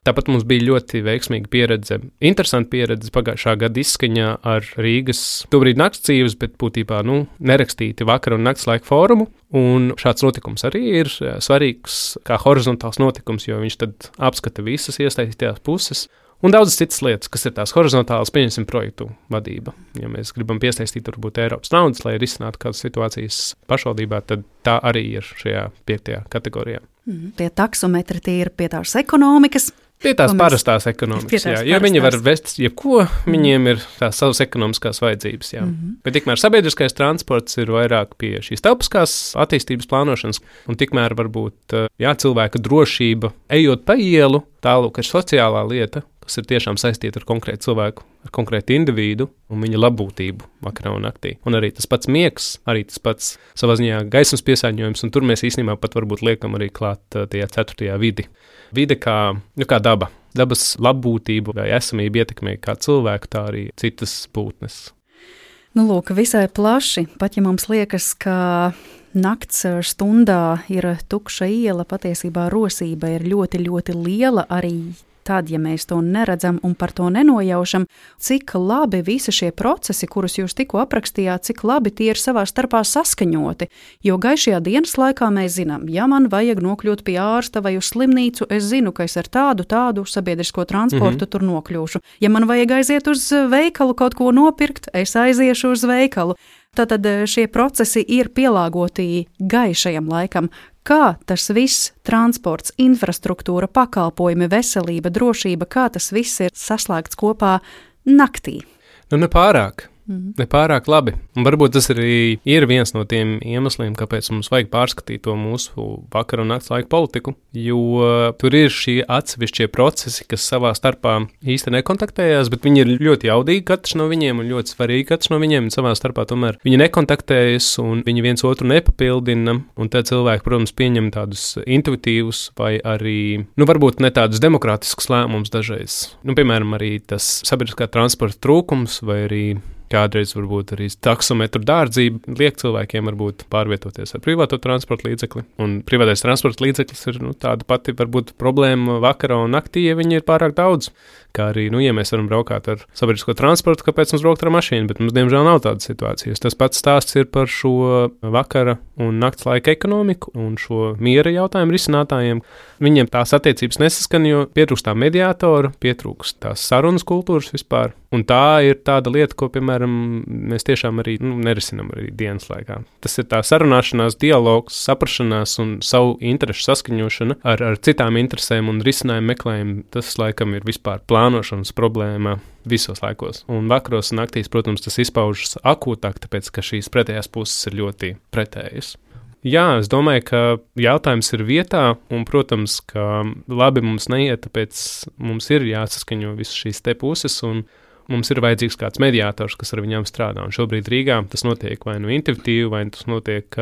Tāpat mums bija ļoti veiksmīga pieredze, interesanta pieredze pagājušā gada izskaņā ar Rīgas tobrīd nakts dzīves, bet būtībā nerakstīti vakara un nakts laika fórumu. Un šāds notikums arī ir svarīgs kā horizontāls notikums, jo viņš tad apskata visas iesaistītās puses. Un daudzas citas lietas, kas ir tās horizontālas, pieņemsim, projektu vadība. Ja mēs gribam piesaistīt varbūt Eiropas naudas, lai risinātu kādas situācijas pašvaldībā, tad tā arī ir šajā 5. kategorijā. Tie taksometri, tie ir pie tās ekonomikas. Pie tās parastās ekonomikas, jā, jo viņi var vest jebko, viņiem ir tās savas ekonomiskās vajadzības, jā. Bet tikmēr sabiedriskais transports ir vairāk pie šīs telpiskās attīstības plānošanas, un tikmēr varbūt, cilvēka drošība, ejot pa ielu, tālūk ir sociālā lieta, kas ir tiešām saistīta ar konkrētu cilvēku, ar konkrētu individu un viņa labbūtību vakarā un naktī. Un arī tas pats miegs, arī tas pats savā ziņā gaismas piesārņojums, un tur mēs īstenībā pat varbūt liekam arī klāt tajā 4. vidi. Vide kā daba. Dabas labbūtību vai esamību ietekmē kā cilvēku, tā arī citas būtnes. Lūk, visai plaši, pat ja mums liekas, ka nakts stundā ir tukša iela, patiesībā rosība ir ļoti, ļoti liela arī tad, ja mēs to neredzam un par to nenojaušam, cik labi visi šie procesi, kurus jūs tikko aprakstījāt, cik labi tie ir savā starpā saskaņoti. Jo gaišajā dienas laikā mēs zinām, ja man vajag nokļūt pie ārsta vai uz slimnīcu, es zinu, ka es ar tādu sabiedrisko transportu tur nokļūšu. Ja man vajag aiziet uz veikalu kaut ko nopirkt, es aiziešu uz veikalu. Tātad šie procesi ir pielāgoti gaišajam laikam. Kā tas viss, transports, infrastruktūra, pakalpojumi, veselība, drošība, kā tas viss ir saslēgts kopā naktī? Nepārāk labi. Un varbūt tas arī ir viens no tiem iemesliem, kāpēc mums vajag pārskatīt to mūsu vakara un nakts laika politiku, jo tur ir šie atsevišķie procesi, kas savā starpā īsti nekontaktējās, bet viņi ir ļoti jaudīgi katrs no viņiem un ļoti svarīgi katrs no viņiem, un savā starpā tomēr viņi nekontaktējas un viņi viens otru nepapildina, un tad cilvēki, protams, pieņem tādus intuitīvus vai arī, varbūt ne tādus demokrātiskus lēmumus dažreiz. Piemēram, arī tas sabiedriskā transporta trūkums vai arī kādreiz varbūt arī taksometru dārdzība liek cilvēkiem varbūt pārvietoties ar privāto transporta līdzekli. Un privātais transporta līdzeklis ir tāda pati varbūt problēma vakarā un naktī, ja viņi ir pārāk daudz. Kā arī, ja mēs varam braukāt ar sabiedrisko transportu, kāpēc mums braukt ar mašīnu, bet mums diemžēl nav tādas situācijas. Tas pats stāsts ir par šo vakara un nakts laika ekonomiku un šo miera jautājumu risinātājiem. Viņiem tās attiecības nesaskan, jo pietrūkst tā mediātora, pietrūkst tās sarunas kultūras vispār. Un tā ir tāda lieta, ko, piemēram, mēs tiešām arī nerisinam arī dienas laikā. Tas ir tā sarunāšanās, dialogs, saprašanās un savu interešu saskaņošana ar citām interesēm un risinājumu meklējumu. Tas, laikam, ir vispār plānošanas problēma visos laikos. Un vakaros un naktīs, protams, tas izpaužas akūtāk, tāpēc, ka šīs pretējās puses ir ļoti pretējas. Jā, es domāju, ka jautājums ir vietā, un, protams, ka labi mums neiet, tāpēc mums ir jāsaskaņo visas šīs te puses, un mums ir vajadzīgs kāds mediātors, kas ar viņām strādā. Un šobrīd Rīgā tas notiek vai intuitīvi, vai tas notiek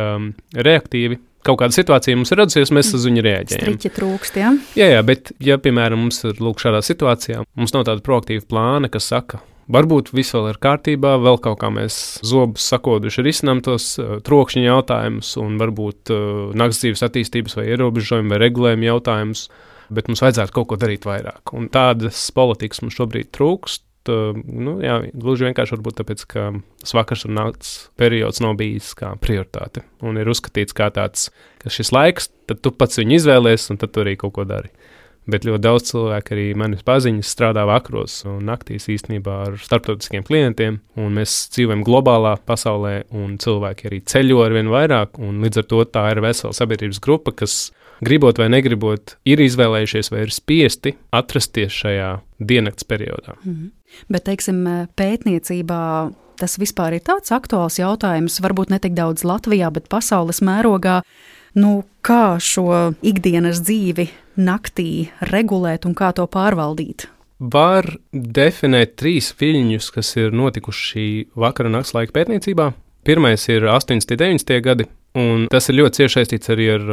reaktīvi. Kaut kāda situācija mums ir radusies, mēs uz viņu reaģējam. Striķi trūkst, jā? Jā, bet, ja, piemēram, mums ir šādā situācijā, mums nav tāda proaktīva plāna, kas saka, varbūt viss vēl ir kārtībā, vēl kaut kā mēs zobus sakoduši risinām tos trokšņa jautājumus un varbūt nakts dzīves attīstības vai ierobežojumu vai regulējumu jautājumus, bet mums vajadzētu kaut ko darīt vairāk. Un tādas politikas mums šobrīd trūkst. Gluži vienkārši varbūt tāpēc, ka tas vakars un nakts periods nav bijis kā prioritāte un ir uzskatīts kā tāds, ka šis laiks, tad tu pats viņu izvēlies un tad tu arī kaut ko dari. Bet ļoti daudz cilvēku arī manis paziņas strādā vakaros un naktīs īstenībā ar starptautiskiem klientiem, un mēs dzīvojam globālā pasaulē, un cilvēki arī ceļo arvien vairāk, un līdz ar to tā ir vesela sabiedrības grupa, kas gribot vai negribot ir izvēlējušies vai ir spiesti atrasties šajā diennakts periodā. Bet, teiksim, pētniecībā tas vispār ir tāds aktuāls jautājums, varbūt ne tik daudz Latvijā, bet pasaules mērogā. Kā šo ikdienas dzīvi naktī regulēt un kā to pārvaldīt? Var definēt 3 viļņus, kas ir notikuši vakara un nakts laika pētniecībā. Pirmais ir 80. un 90. gadi, un tas ir ļoti cieši saistīts arī ar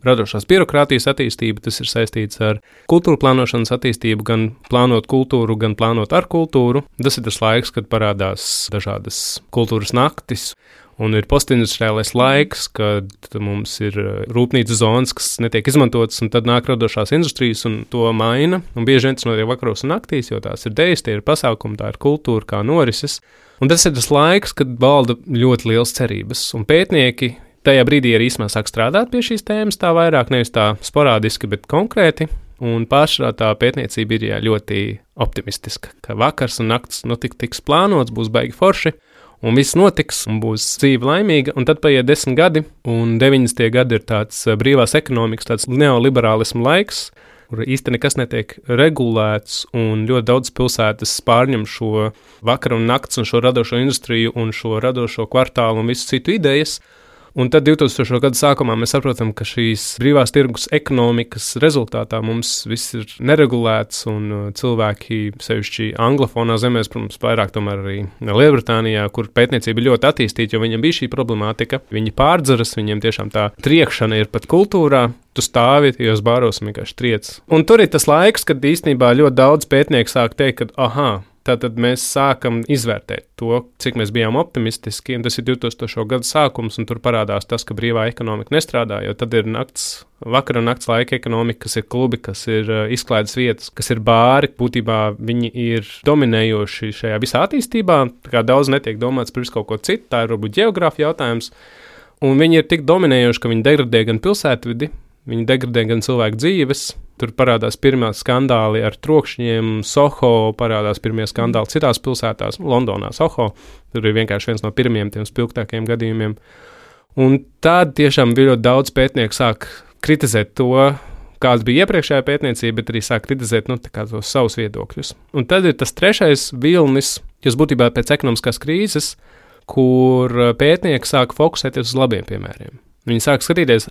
radošās birokrātijas attīstību, tas ir saistīts ar kultūra plānošanas attīstību, gan plānot kultūru, gan plānot ar kultūru. Tas ir tas laiks, kad parādās dažādas kultūras naktis, un ir postindustriālais laiks, kad mums ir rūpnīcu zonas, kas netiek izmantotas, un tad nāk radošās industrijas un to maina. Un bieži vien tas notiek vakaros un naktīs, jo tās ir dejas, tie ir pasākumi, tā ir kultūra, kā norises. Un tas ir tas laiks, kad valda ļoti liels cerības. Un pētnieki tajā brīdī arī īstenībā sāk strādāt pie šīs tēmas tā vairāk, nevis tā sporādiski, bet konkrēti. Un pašā tā pētniecība ir ļoti optimistiska, ka vakars un nakts tiks plānots, būs baigi forši, un viss notiks, un būs dzīve laimīga, un tad paiet 10 gadi, un 90. gadi ir tāds brīvās ekonomikas, tāds neoliberālismu laiks, kur īsti nekas netiek regulēts, un ļoti daudz pilsētas pārņem šo vakaru un nakts un šo radošo industriju un šo radošo kvartālu un visu citu idejas. Un tad 2000. Gada sākumā mēs saprotam, ka šīs brīvās tirgus ekonomikas rezultātā mums viss ir neregulēts, un cilvēki, sevišķi anglofonā zemēs, protams, vairāk tomēr arī Lielbritānijā, kur pētniecība ir ļoti attīstīta, jo viņiem bija šī problemātika. Viņi pārdzeras, viņiem tiešām tā triekšana ir pat kultūrā. Tu stāvi, tajos bāros un vienkārši triec. Un tur ir tas laiks, kad īstenībā ļoti daudz pētnieku sāk teikt, ka tātad mēs sākam izvērtēt to, cik mēs bijām optimistiski, un tas ir 2000. Gada sākums, un tur parādās tas, ka brīvā ekonomika nestrādā, jo tad ir vakara un nakts laika ekonomika, kas ir klubi, kas ir izklaides vietas, kas ir bāri. Būtībā viņi ir dominējoši šajā visā attīstībā, tā kā daudz netiek domāts par visu kaut ko citu, tā ir varbūt ģeogrāfija jautājums, un viņi ir tik dominējoši, ka viņi degradē gan pilsētvidi, viņi degradē gan cilvēku dzīves. Tur parādās pirmie skandāli ar trokšņiem, Soho, parādās pirmie skandāli citās pilsētās, Londonā, Soho. Tur ir vienkārši viens no pirmiem tiem spilgtākajiem gadījumiem. Un tad tiešām ļoti daudz pētnieku sāk kritizēt to, kāds bija iepriekšējā pētniecība, bet arī sāk kritizēt tos savus viedokļus. Un tad ir tas trešais vilnis, kas būtībā pēc ekonomiskās krīzes, kur pētnieki sāk fokusēties uz labiem piemēriem. Viņi sāk skatīties,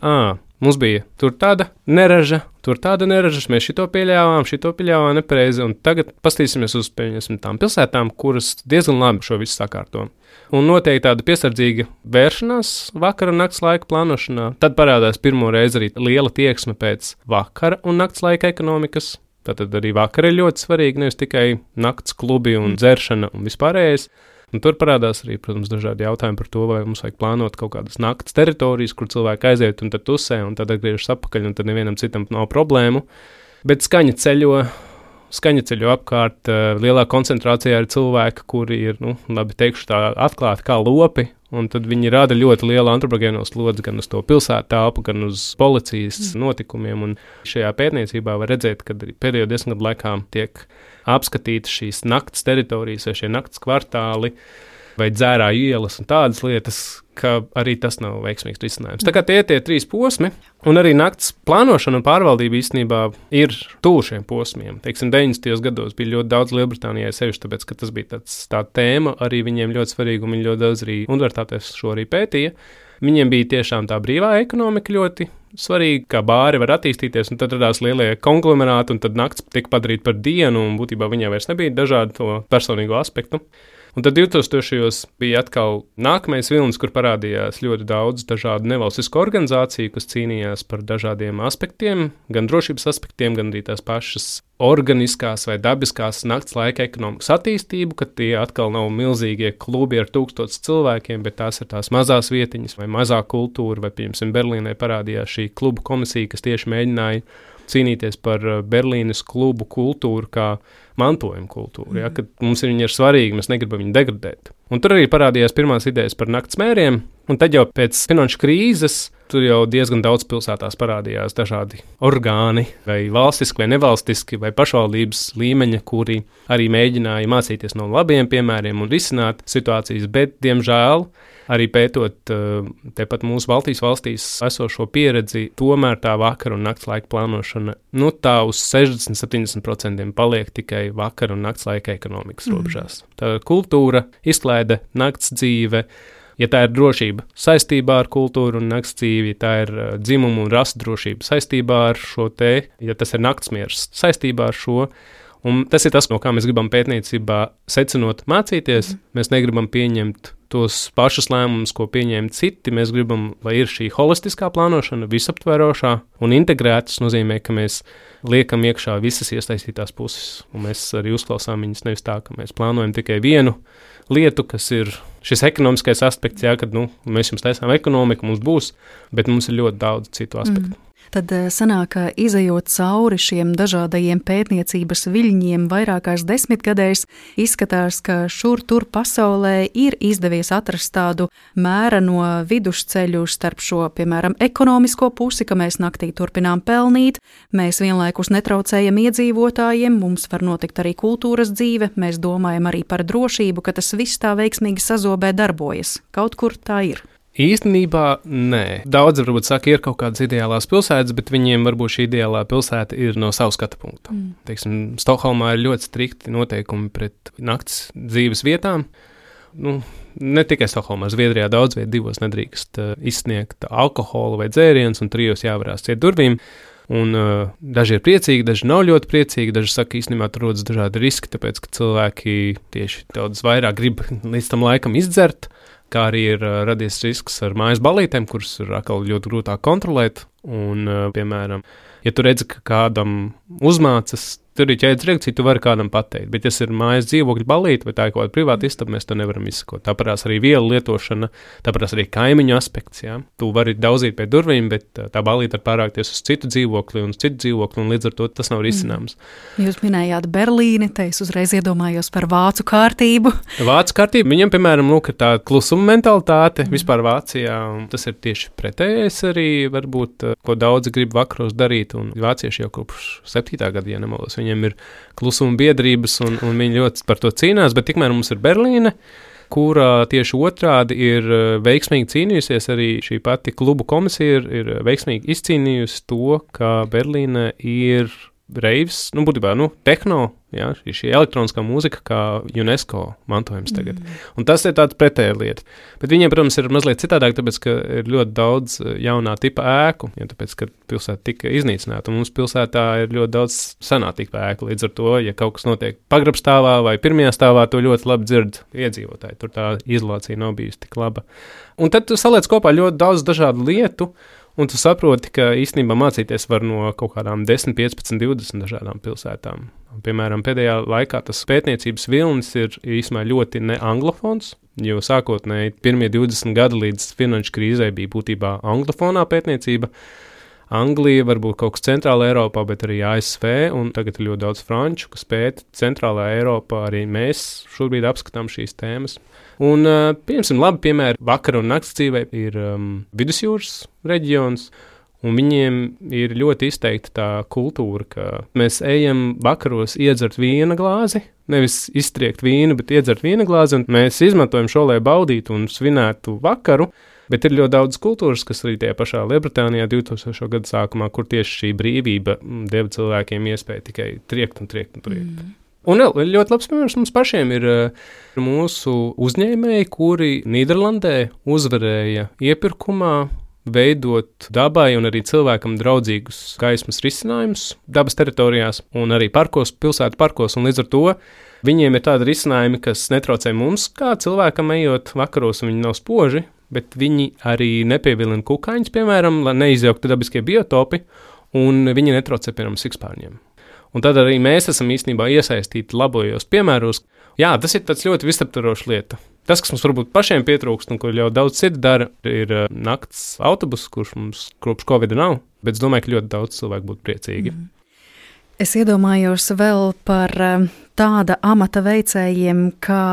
mums bija tur tāda neraža, mēs šito pieļāvām nepareizi, un tagad pastīsimies uz tām pilsētām, kuras diezgan labi šo visu sakārto. Un noteikti tāda piesardzīga vēršanās vakara un nakts laika plānošanā. Tad parādās pirmo reizi arī liela tieksme pēc vakara un nakts laika ekonomikas. Tātad arī vakara ir ļoti svarīga, nevis tikai nakts klubi un dzeršana un vispārējais. Un tur parādās arī, protams, dažādi jautājumi par to, vai mums vajag plānot kaut kādas nakts teritorijas, kur cilvēki aiziet un tad tusē, un tad atgriežas atpakaļ, un tad nevienam citam nav problēmu. Bet skaņa ceļo apkārt, lielā koncentrācijā ir cilvēki, kuri ir, labi teikšu tā, atklāti kā lopi, un tad viņi rada ļoti lielu antropogēno slodzi gan uz to pilsētu telpu, gan uz policijas notikumiem, un šajā pētniecībā var redzēt, ka pēdējo 10 gadu laikā tiek apskatītas šīs nakts teritorijas vai šie nakts kvartāli vai dzērā ielas un tādas lietas, ka arī tas nav veiksmīgs risinājums. Tā kā tie 3 posmi, un arī nakts plānošana un pārvaldība īstenībā ir tuvu šiem posmiem. Teiksim, 90. gados bija ļoti daudz Lielbritānijai sevišķi, tāpēc, ka tas bija tā tēma arī viņiem ļoti svarīga, un viņi ļoti daudz arī universitātēs šo arī pētīja. Viņiem bija tiešām tā brīvā ekonomika ļoti svarīga, kā bāri var attīstīties, un tad radās lielie konglomerāti, un tad nakts tika padarīta par dienu, un būtībā viņai vairs nebija dažādu to personīgo aspektu. Un tad 2000. bija atkal nākamais vilnis, kur parādījās ļoti daudz dažādu nevalstisku organizāciju, kas cīnījās par dažādiem aspektiem, gan drošības aspektiem, gan arī tās pašas organiskās vai dabiskās nakts laika ekonomikas attīstību, ka tie atkal nav milzīgie klubi ar 1000 cilvēkiem, bet tās ir tās mazās vietiņas vai mazā kultūra, vai, piemēram, Berlīnē parādījās šī klubu komisija, kas tieši mēģināja cīnīties par Berlīnes klubu kultūru kā mantojuma kultūru, ja, kad mums viņi ir svarīgi, mēs negribam viņu degradēt. Un tur arī parādījās pirmās idejas par nakts mēriem, un tad jau pēc finanšu krīzes tur jau diezgan daudz pilsētās parādījās dažādi orgāni, vai valstiski, vai nevalstiski, vai pašvaldības līmeņa, kuri arī mēģināja mācīties no labiem piemēriem un risināt situācijas, bet, diemžēl, arī pētot tepat mūsu Baltijas valstīs esošo pieredzi, tomēr tā vakara un nakts laika plānošana, tā uz 60–70% paliek tikai vakara un nakts laika ekonomikas robežās. Tā kultūra, izklaide, nakts dzīve, ja tā ir drošība saistībā ar kultūru un nakts dzīvi, ja tā ir dzimumu un rasu drošība saistībā ar šo ja tas ir naktsmiers saistībā ar šo. Un tas ir tas, no kā mēs gribam pētniecībā secinot mācīties. Mēs negribam pieņemt tos pašus lēmumus, ko pieņēma citi. Mēs gribam, lai ir šī holistiskā plānošana, visaptverošā un integrēta. Tas nozīmē, ka mēs liekam iekšā visas iesaistītās puses. Un mēs arī uzklausām viņas nevis tā, ka mēs plānojam tikai vienu lietu, kas ir šis ekonomiskais aspekts, kad mēs jums taisām ekonomiku, mums būs, bet mums ir ļoti daudz citu aspektu. Tad sanāk, ka izejot cauri šiem dažādajiem pētniecības viļņiem vairākās desmitgadēs, izskatās, ka šur tur pasaulē ir izdevies atrast tādu mēreno vidusceļu starp šo, piemēram, ekonomisko pusi, ka mēs naktī turpinām pelnīt, mēs vienlaikus netraucējam iedzīvotājiem, mums var notikt arī kultūras dzīve, mēs domājam arī par drošību, ka tas viss tā veiksmīgi sazobē darbojas. Kaut kur tā ir. Īstenībā nē. Daudzi varbūt saka, ir kaut kādas ideālās pilsētas, bet viņiem varbūt šī ideālā pilsēta ir no savu skatu punktu. Teiksim, Stokholmā ir ļoti strikti noteikumi pret nakts dzīves vietām. Ne tikai Stokholmā, Zviedrijā daudz viet 2 nedrīkst izsniegt alkoholu vai dzērienus, un 3 jāvarās ciet durvīm. Un daži ir priecīgi, daži nav ļoti priecīgi, daži saka, īstenībā tur rodas dažādi riski, tāpēc, ka cilvēki tieši daudz vairāk grib līdz tam laikam izdzert, kā arī ir radies risks ar mājas balītēm, kuras ir atkal ļoti grūtāk kontrolēt. Un, piemēram, ja tu redzi, ka kādam uzmācas, tur ir ķēdes reakcija, tu vari kādam pateikt. Bet, ja ir mājas dzīvokļu balīte vai tā ir kaut kāda privāta istaba, mēs to nevaram izsakot. Tāpēc arī vielu lietošana, tāpēc arī kaimiņu aspekts. Jā. Tu vari daudzīt pie durvīm, bet tā balīte var pārākties uz citu dzīvokli, un līdz ar to tas nav risināms. Jūs minējāt Berlīni, te es uzreiz iedomājos par vācu kārtību. Vācu kārtība, viņam, piemēram, ir tā klusuma mentalitāte vispār Vācijā, un tas ir tieši pretējais arī, varbūt, ko daudzi grib vakaros darīt, un vācieši jau kopš 7. gada, ja nemaldos, viņiem ir klusuma biedrības, un viņi ļoti par to cīnās, bet tikmēr mums ir Berlīne, kurā tieši otrādi ir veiksmīgi cīnījusies, arī šī pati klubu komisija ir veiksmīgi izcīnījusi to, ka Berlīne ir reivis, būtībā, tehno, jā, šī elektroniskā mūzika kā UNESCO mantojums tagad. Un tas ir tāds pretēja lieta. Bet viņiem, protams, ir mazliet citādāk, tāpēc, ka ir ļoti daudz jaunā tipa ēku, ja tāpēc, ka pilsēta tika iznīcināta. Un mums pilsētā ir ļoti daudz senā tipa ēku. Līdz ar to, ja kaut kas notiek pagrabstāvā vai pirmajā stāvā, to ļoti labi dzird iedzīvotāji. Tur tā izolācija nav bijusi tik laba. Un tad tu saliec kopā ļoti daudz dažādu lietu, un tu saproti, ka īstenībā mācīties var no kaut kādām 10, 15, 20 dažādām pilsētām. Piemēram, pēdējā laikā tas pētniecības vilnis ir īstenībā ļoti neanglofons, jo sākotnēji pirmie 20 gadi līdz finanšu krīzē bija būtībā anglofonā pētniecība. Anglija, varbūt kaut kas centrālā Eiropā, bet arī ASV, un tagad ir ļoti daudz franču, kas pēta centrālā Eiropā, arī mēs šobrīd apskatām šīs tēmas. Un, piemēram, labi piemēri vakara un nakts dzīvē ir vidusjūras reģions, un viņiem ir ļoti izteikta tā kultūra, ka mēs ejam vakaros iedzert vīna glāzi, nevis iztriekt vīnu, bet iedzert vīna glāzi, un mēs izmantojam šo, lai baudītu un svinētu vakaru. Bet ir ļoti daudz kultūras, kas arī tajā pašā Lielbritānijā 2000. gada sākumā, kur tieši šī brīvība deva cilvēkiem iespēju tikai triekt. Un ļoti labs piemērs mums pašiem ir mūsu uzņēmēji, kuri Nīderlandē uzvarēja iepirkumā veidot dabai un arī cilvēkam draudzīgus gaismas risinājumus dabas teritorijās un arī parkos, pilsētu parkos, un līdz ar to viņiem ir tādi risinājumi, kas netraucē mums, kā cilvēkam ejot vakaros, un viņi nav spoži, bet viņi arī nepievilina kukaiņus, piemēram, lai neizjauktu dabiskie biotopi, un viņi netraucē, piemēram, sikspārņiem. Un tad arī mēs esam īstenībā iesaistīti labojos piemēros. Jā, tas ir tāds ļoti visaptvarošs lieta. Tas, kas mums varbūt pašiem pietrūkst un ko ļoti daudz citu dara, ir nakts autobus, kurš mums kopš Covid nav, bet es domāju, ka ļoti daudz cilvēku būtu priecīgi. Es iedomājos vēl par tāda amata veicējiem kā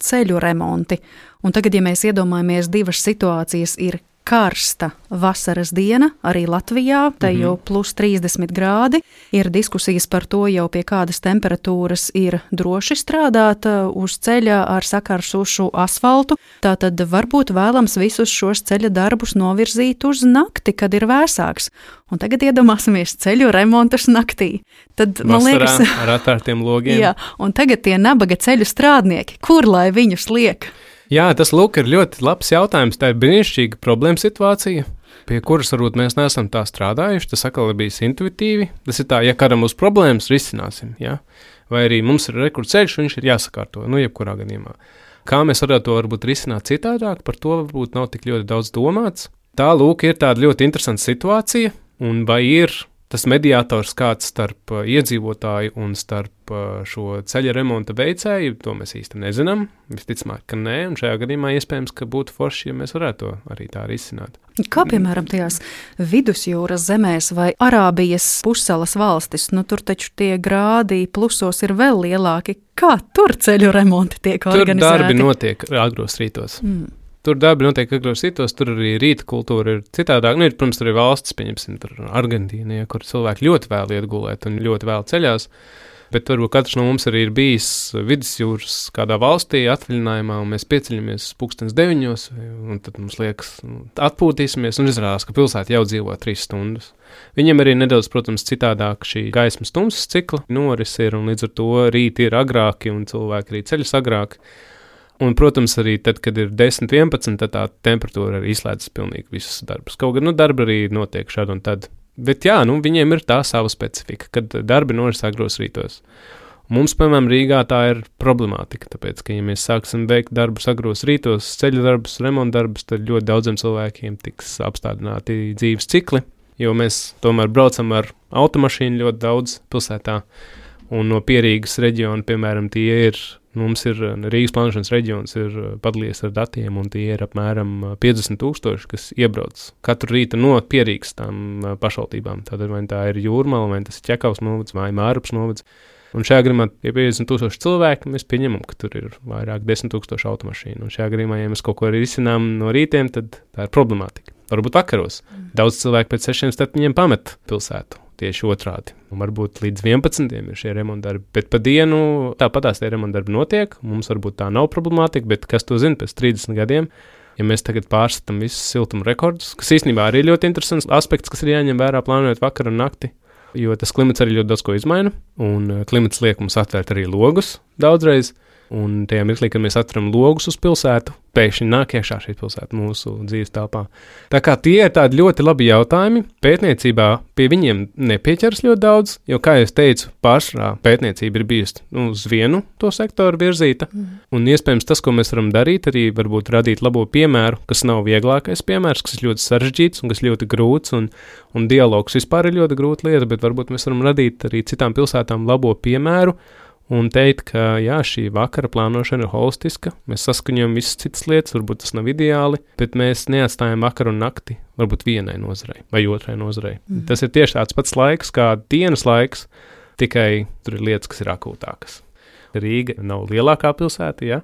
ceļu remonti. Un tagad, ja mēs iedomājamies divas situācijas, ir karsta vasaras diena, arī Latvijā, te jau plus 30 grādi, ir diskusijas par to jau pie kādas temperatūras ir droši strādāt uz ceļa ar sakarsušu asfaltu, tātad varbūt vēlams visus šos ceļa darbus novirzīt uz nakti, kad ir vēsāks. Un tagad iedomāsimies ceļu remontus naktī. Tad, man liekas, ar atvērtiem logiem. Jā, un tagad tie nabaga ceļu strādnieki, kur lai viņus liek? Jā, tas lūk ir ļoti labs jautājums. Tā ir brīnišķīga problēma situācija, pie kuras varbūt mēs neesam tā strādājuši. Tas atkal ir bijis intuitīvi. Tas ir tā, ja kādam būs problēmas, risināsim. Ja? Vai arī mums ir rekurceļš, viņš ir jāsakārto, jebkurā gadījumā. Kā mēs varētu to varbūt risināt citādāk, par to varbūt nav tik ļoti daudz domāts. Tā lūk ir tāda ļoti interesanta situācija, un vai ir tas mediātors kāds starp iedzīvotāju un starp šo ceļa remonta veicēju, to mēs īsti nezinām. Visticamāk, ka nē, un šajā gadījumā iespējams, ka būtu forši, ja mēs varētu to arī tā risināt. Kā piemēram tajās vidusjūras zemēs vai Arābijas pussalas valstis, tur taču tie grādi plusos ir vēl lielāki. Kā tur ceļu remonti tiek organizēti? Tur darbi notiek agros rītos. Tur darbi notiek agros rītos, tur arī rīta kultūra ir citādāk. Protams, tur ir valstis, pieņemsim, tur Argentīna, kur cilvēki ļoti vēl iet gulēt un ļoti vēl ceļās. Bet varbūt katrs no mums arī ir bijis vidusjūras kādā valstī atvaļinājumā, un mēs pieceļamies 9:00, un tad mums liekas, atpūtīsimies, un izrādās, ka pilsēta jau dzīvo 3 stundas. Viņiem arī nedaudz, protams, citādāk šī gaismas tumsas cikla noris ir, un līdz ar to rīti ir agrāki, un cilvēki arī ceļas agrāk. Un, protams, arī tad, kad ir 10, 11, tad tā temperatūra arī izslēdzas pilnīgi visus darbus. Kaut gan darbi arī notiek šādi un tad. Bet jā, viņiem ir tā sava specifika, kad darbi noris agros rītos. Mums, piemēram, Rīgā tā ir problemātika, tāpēc, ka, ja mēs sāksim veikt darbus agros rītos, ceļa darbus, remonta darbus, tad ļoti daudziem cilvēkiem tiks apstādināti dzīves cikli, jo mēs tomēr braucam ar automašīnu ļoti daudz pilsētā, un no Pierīgas reģiona, piemēram, mums ir Rīgas plānošanas reģions ir padalījies ar datiem, un tie ir apmēram 50,000, kas iebrauc katru rītu no Pierīgas tām pašvaldībām. Tātad vai tā ir Jūrmala, vai tas ir Ķekavas novads, vai Mārupas novads. Un šajā gadījumā ir 50,000 cilvēki, mēs pieņemam, ka tur ir vairāk 10,000 automašīnu. Un šajā gadījumā, ja mēs kaut ko risinām no rītiem, tad tā ir problemātika. Varbūt vakaros. Daudz cilvēku pēc 6-7 pamet pilsētu. Tieši otrādi. Un varbūt līdz 11 ir šie remontdarbi, bet pa dienu tāpatās tie remontdarbi notiek. Mums varbūt tā nav problemātika, bet kas to zina pēc 30 gadiem, ja mēs tagad pārskatām visus siltuma rekordus, kas īstenībā arī ļoti interesants aspekts, kas ir jāņem vērā plānojot vakaru un nakti, jo tas klimats arī ļoti daudz ko izmaina, un klimats liek mums atvērt arī logus daudzreiz. Un tajā mirklī, kad mēs atveram logus uz pilsētu, pēkšņi nāk iekšā šī pilsēta mūsu dzīves telpā. Tā kā tie ir tādi ļoti labi jautājumi, pētniecībā pie viņiem nepieķeras ļoti daudz, jo, kā jau teicu, pārsvarā pētniecība ir bijusi uz vienu to sektoru virzīta, un iespējams tas, ko mēs varam darīt, arī varbūt radīt labo piemēru, kas nav vieglākais piemērs, kas ir ļoti sarežģīts un kas ļoti grūts, un dialogs vispār ir ļoti grūta lieta, bet varbūt mēs varam radīt arī citām pilsētām labo piemēru, un teikt, ka jā, šī vakara plānošana ir holistiska, mēs saskaņojam visas citas lietas, varbūt tas nav ideāli, bet mēs neatstājam vakaru un nakti varbūt vienai nozarei vai otrai nozarei. Tas ir tieši tāds pats laiks kā dienas laiks, tikai tur ir lietas, kas ir akūtākas. Rīga nav lielākā pilsēta, jā.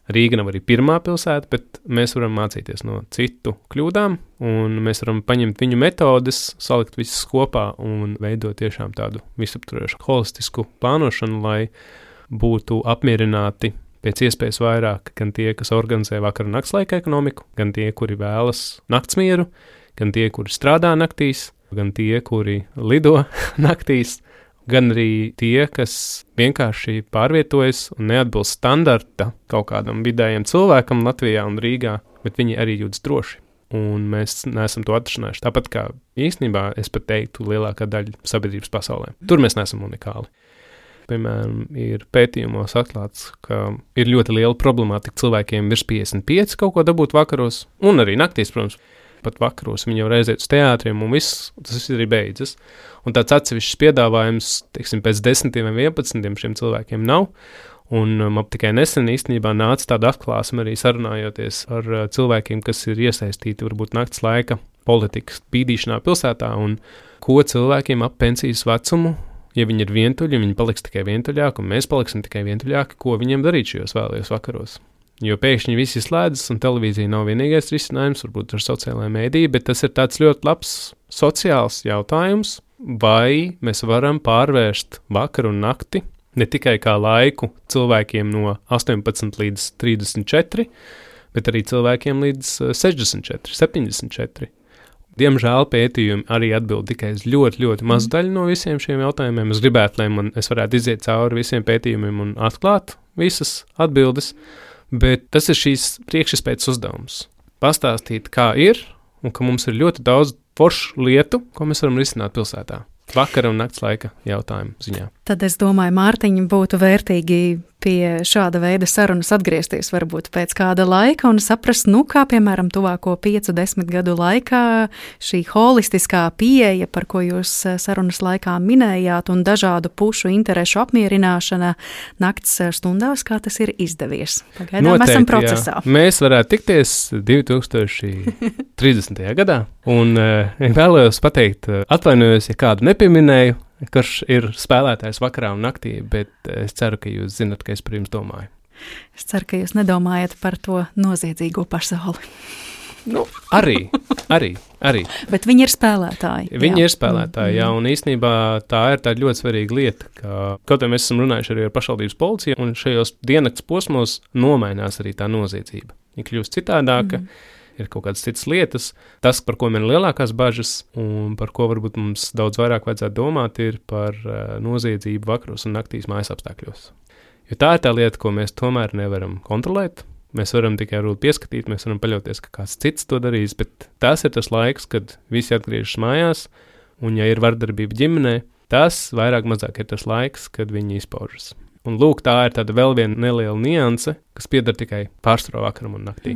Rīga nav arī pirmā pilsēta, bet mēs varam mācīties no citu kļūdām, un mēs varam paņemt viņu metodes, salikt visas kopā un veidot tiešām tādu visaptvarošu holistisku plānošanu, lai būtu apmierināti pēc iespējas vairāk gan tie, kas organizē vakar un naktslaika ekonomiku, gan tie, kuri vēlas naktsmieru, gan tie, kuri strādā naktīs, gan tie, kuri lido naktīs, gan arī tie, kas vienkārši pārvietojas un neatbilst standarta kaut kādam vidējam cilvēkam Latvijā un Rīgā, bet viņi arī jūtas droši. Un mēs neesam to atrašanājuši. Tāpat kā īstenībā, es pat teiktu, lielākā daļa sabiedrības pasaulē. Tur mēs neesam unikāli. Piemēram, ir pētījumos atklāts, ka ir ļoti liela problemātika cilvēkiem virs 55 kaut ko dabūt vakaros, un arī naktīs, protams. Pat vakaros viņi jau reiziet uz teātriem, un tas arī beidzas. Un tāds atsevišķs piedāvājums, teiksim, pēc 10 vai 11 šiem cilvēkiem nav. Un man tikai nesen īstenībā nāca tāda atklāsme arī sarunājoties ar cilvēkiem, kas ir iesaistīti varbūt nakts laika politikas bīdīšanā pilsētā, un ko cilvēkiem ap pensijas vecumu, ja viņi ir vientuļi, viņi paliks tikai vientuļāki, un mēs paliksim tikai vientuļāki, ko viņiem darīt šajos vēlajos vakaros. Jo pēkšņi viss izslēdzas, un televīzija nav vienīgais risinājums, varbūt ar sociālajā mēdī, bet tas ir tāds ļoti labs sociāls jautājums, vai mēs varam pārvērst vakaru un nakti ne tikai kā laiku cilvēkiem no 18 līdz 34, bet arī cilvēkiem līdz 64, 74. Diemžēl pētījumi arī atbild tikai uz ļoti, ļoti mazu daļu no visiem šiem jautājumiem. Es gribētu, lai es varētu iziet cauri visiem pētījumiem un atklāt visas atbildes, bet tas ir šīs priekšizpētes uzdevums. Pastāstīt, kā ir, un ka mums ir ļoti daudz foršu lietu, ko mēs varam risināt pilsētā. Vakara un nakts laika jautājumu ziņā. Tad es domāju, Mārtiņ, būtu vērtīgi pie šāda veida sarunas atgriezties varbūt pēc kāda laika un saprast, kā piemēram tuvāko 5-10 gadu laikā šī holistiskā pieeja, par ko jūs sarunas laikā minējāt, un dažādu pušu interešu apmierināšana nakts stundās, kā tas ir izdevies. Pagaidām Noteikti, esam procesā. Jā. Mēs varētu tikties 2030. gadā, un vēlējos pateikt, atvainojos, ja kādu nepieminēju, kurš ir spēlētājs vakarā un naktī, bet es ceru, ka jūs zinat, ka es par jums domāju. Es ceru, ka jūs nedomājat par to noziedzīgo pasauli. Arī. Bet viņi ir spēlētāji. Viņi ir spēlētāji, jā, un īstenībā tā ir tāda ļoti svarīga lieta, ka kaut vai mēs esam runājuši arī ar pašvaldības policiju, un šajos diennakts posmos nomainās arī tā noziedzība. Viņa kļūst citādāka. Ir kaut kādas citas lietas. Tas, par ko man ir lielākās bažas un par ko varbūt mums daudz vairāk vajadzētu domāt, ir par noziedzību vakaros un naktīs mājas apstākļos. Jo tā ir tā lieta, ko mēs tomēr nevaram kontrolēt. Mēs varam tikai pieskatīt, mēs varam paļauties, ka kāds cits to darīs, bet tas ir tas laiks, kad visi atgriežas mājās, un ja ir vardarbība ģimenē, tas vairāk mazāk ir tas laiks, kad viņi izpaužas. Un lūk, tā ir tāda vēl viena neliela nianse, kas pieder tikai pārsvarā vakaram un naktī.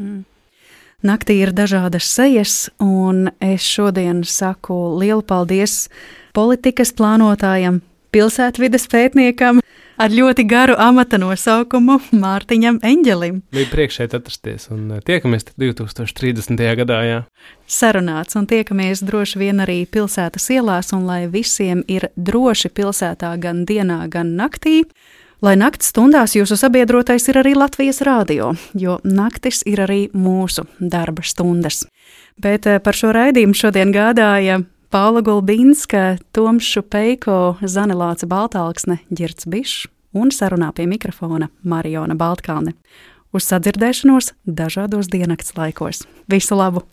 Naktī ir dažādas sejas, un es šodien saku lielu paldies politikas plānotājam, pilsētvides pētniekam ar ļoti garu amata nosaukumu Mārtiņam Eņģelim. Bija prieks šeit atrasties, un tiekamies 2030. gadā, jā. Sarunāts, un tiekamies droši vien arī pilsētas ielās, un lai visiem ir droši pilsētā gan dienā, gan naktī. Lai nakts stundās jūsu sabiedrotais ir arī Latvijas rādio, jo naktis ir arī mūsu darba stundas. Bet par šo raidījumu šodien gādāja Paula Gulbinska, Toms Šupeiko, Zane Lāce Baltālksne, Ģirds Bišs un sarunā pie mikrofona Mariona Baltkalne. Uz sadzirdēšanos dažādos diennakts laikos. Visu labu!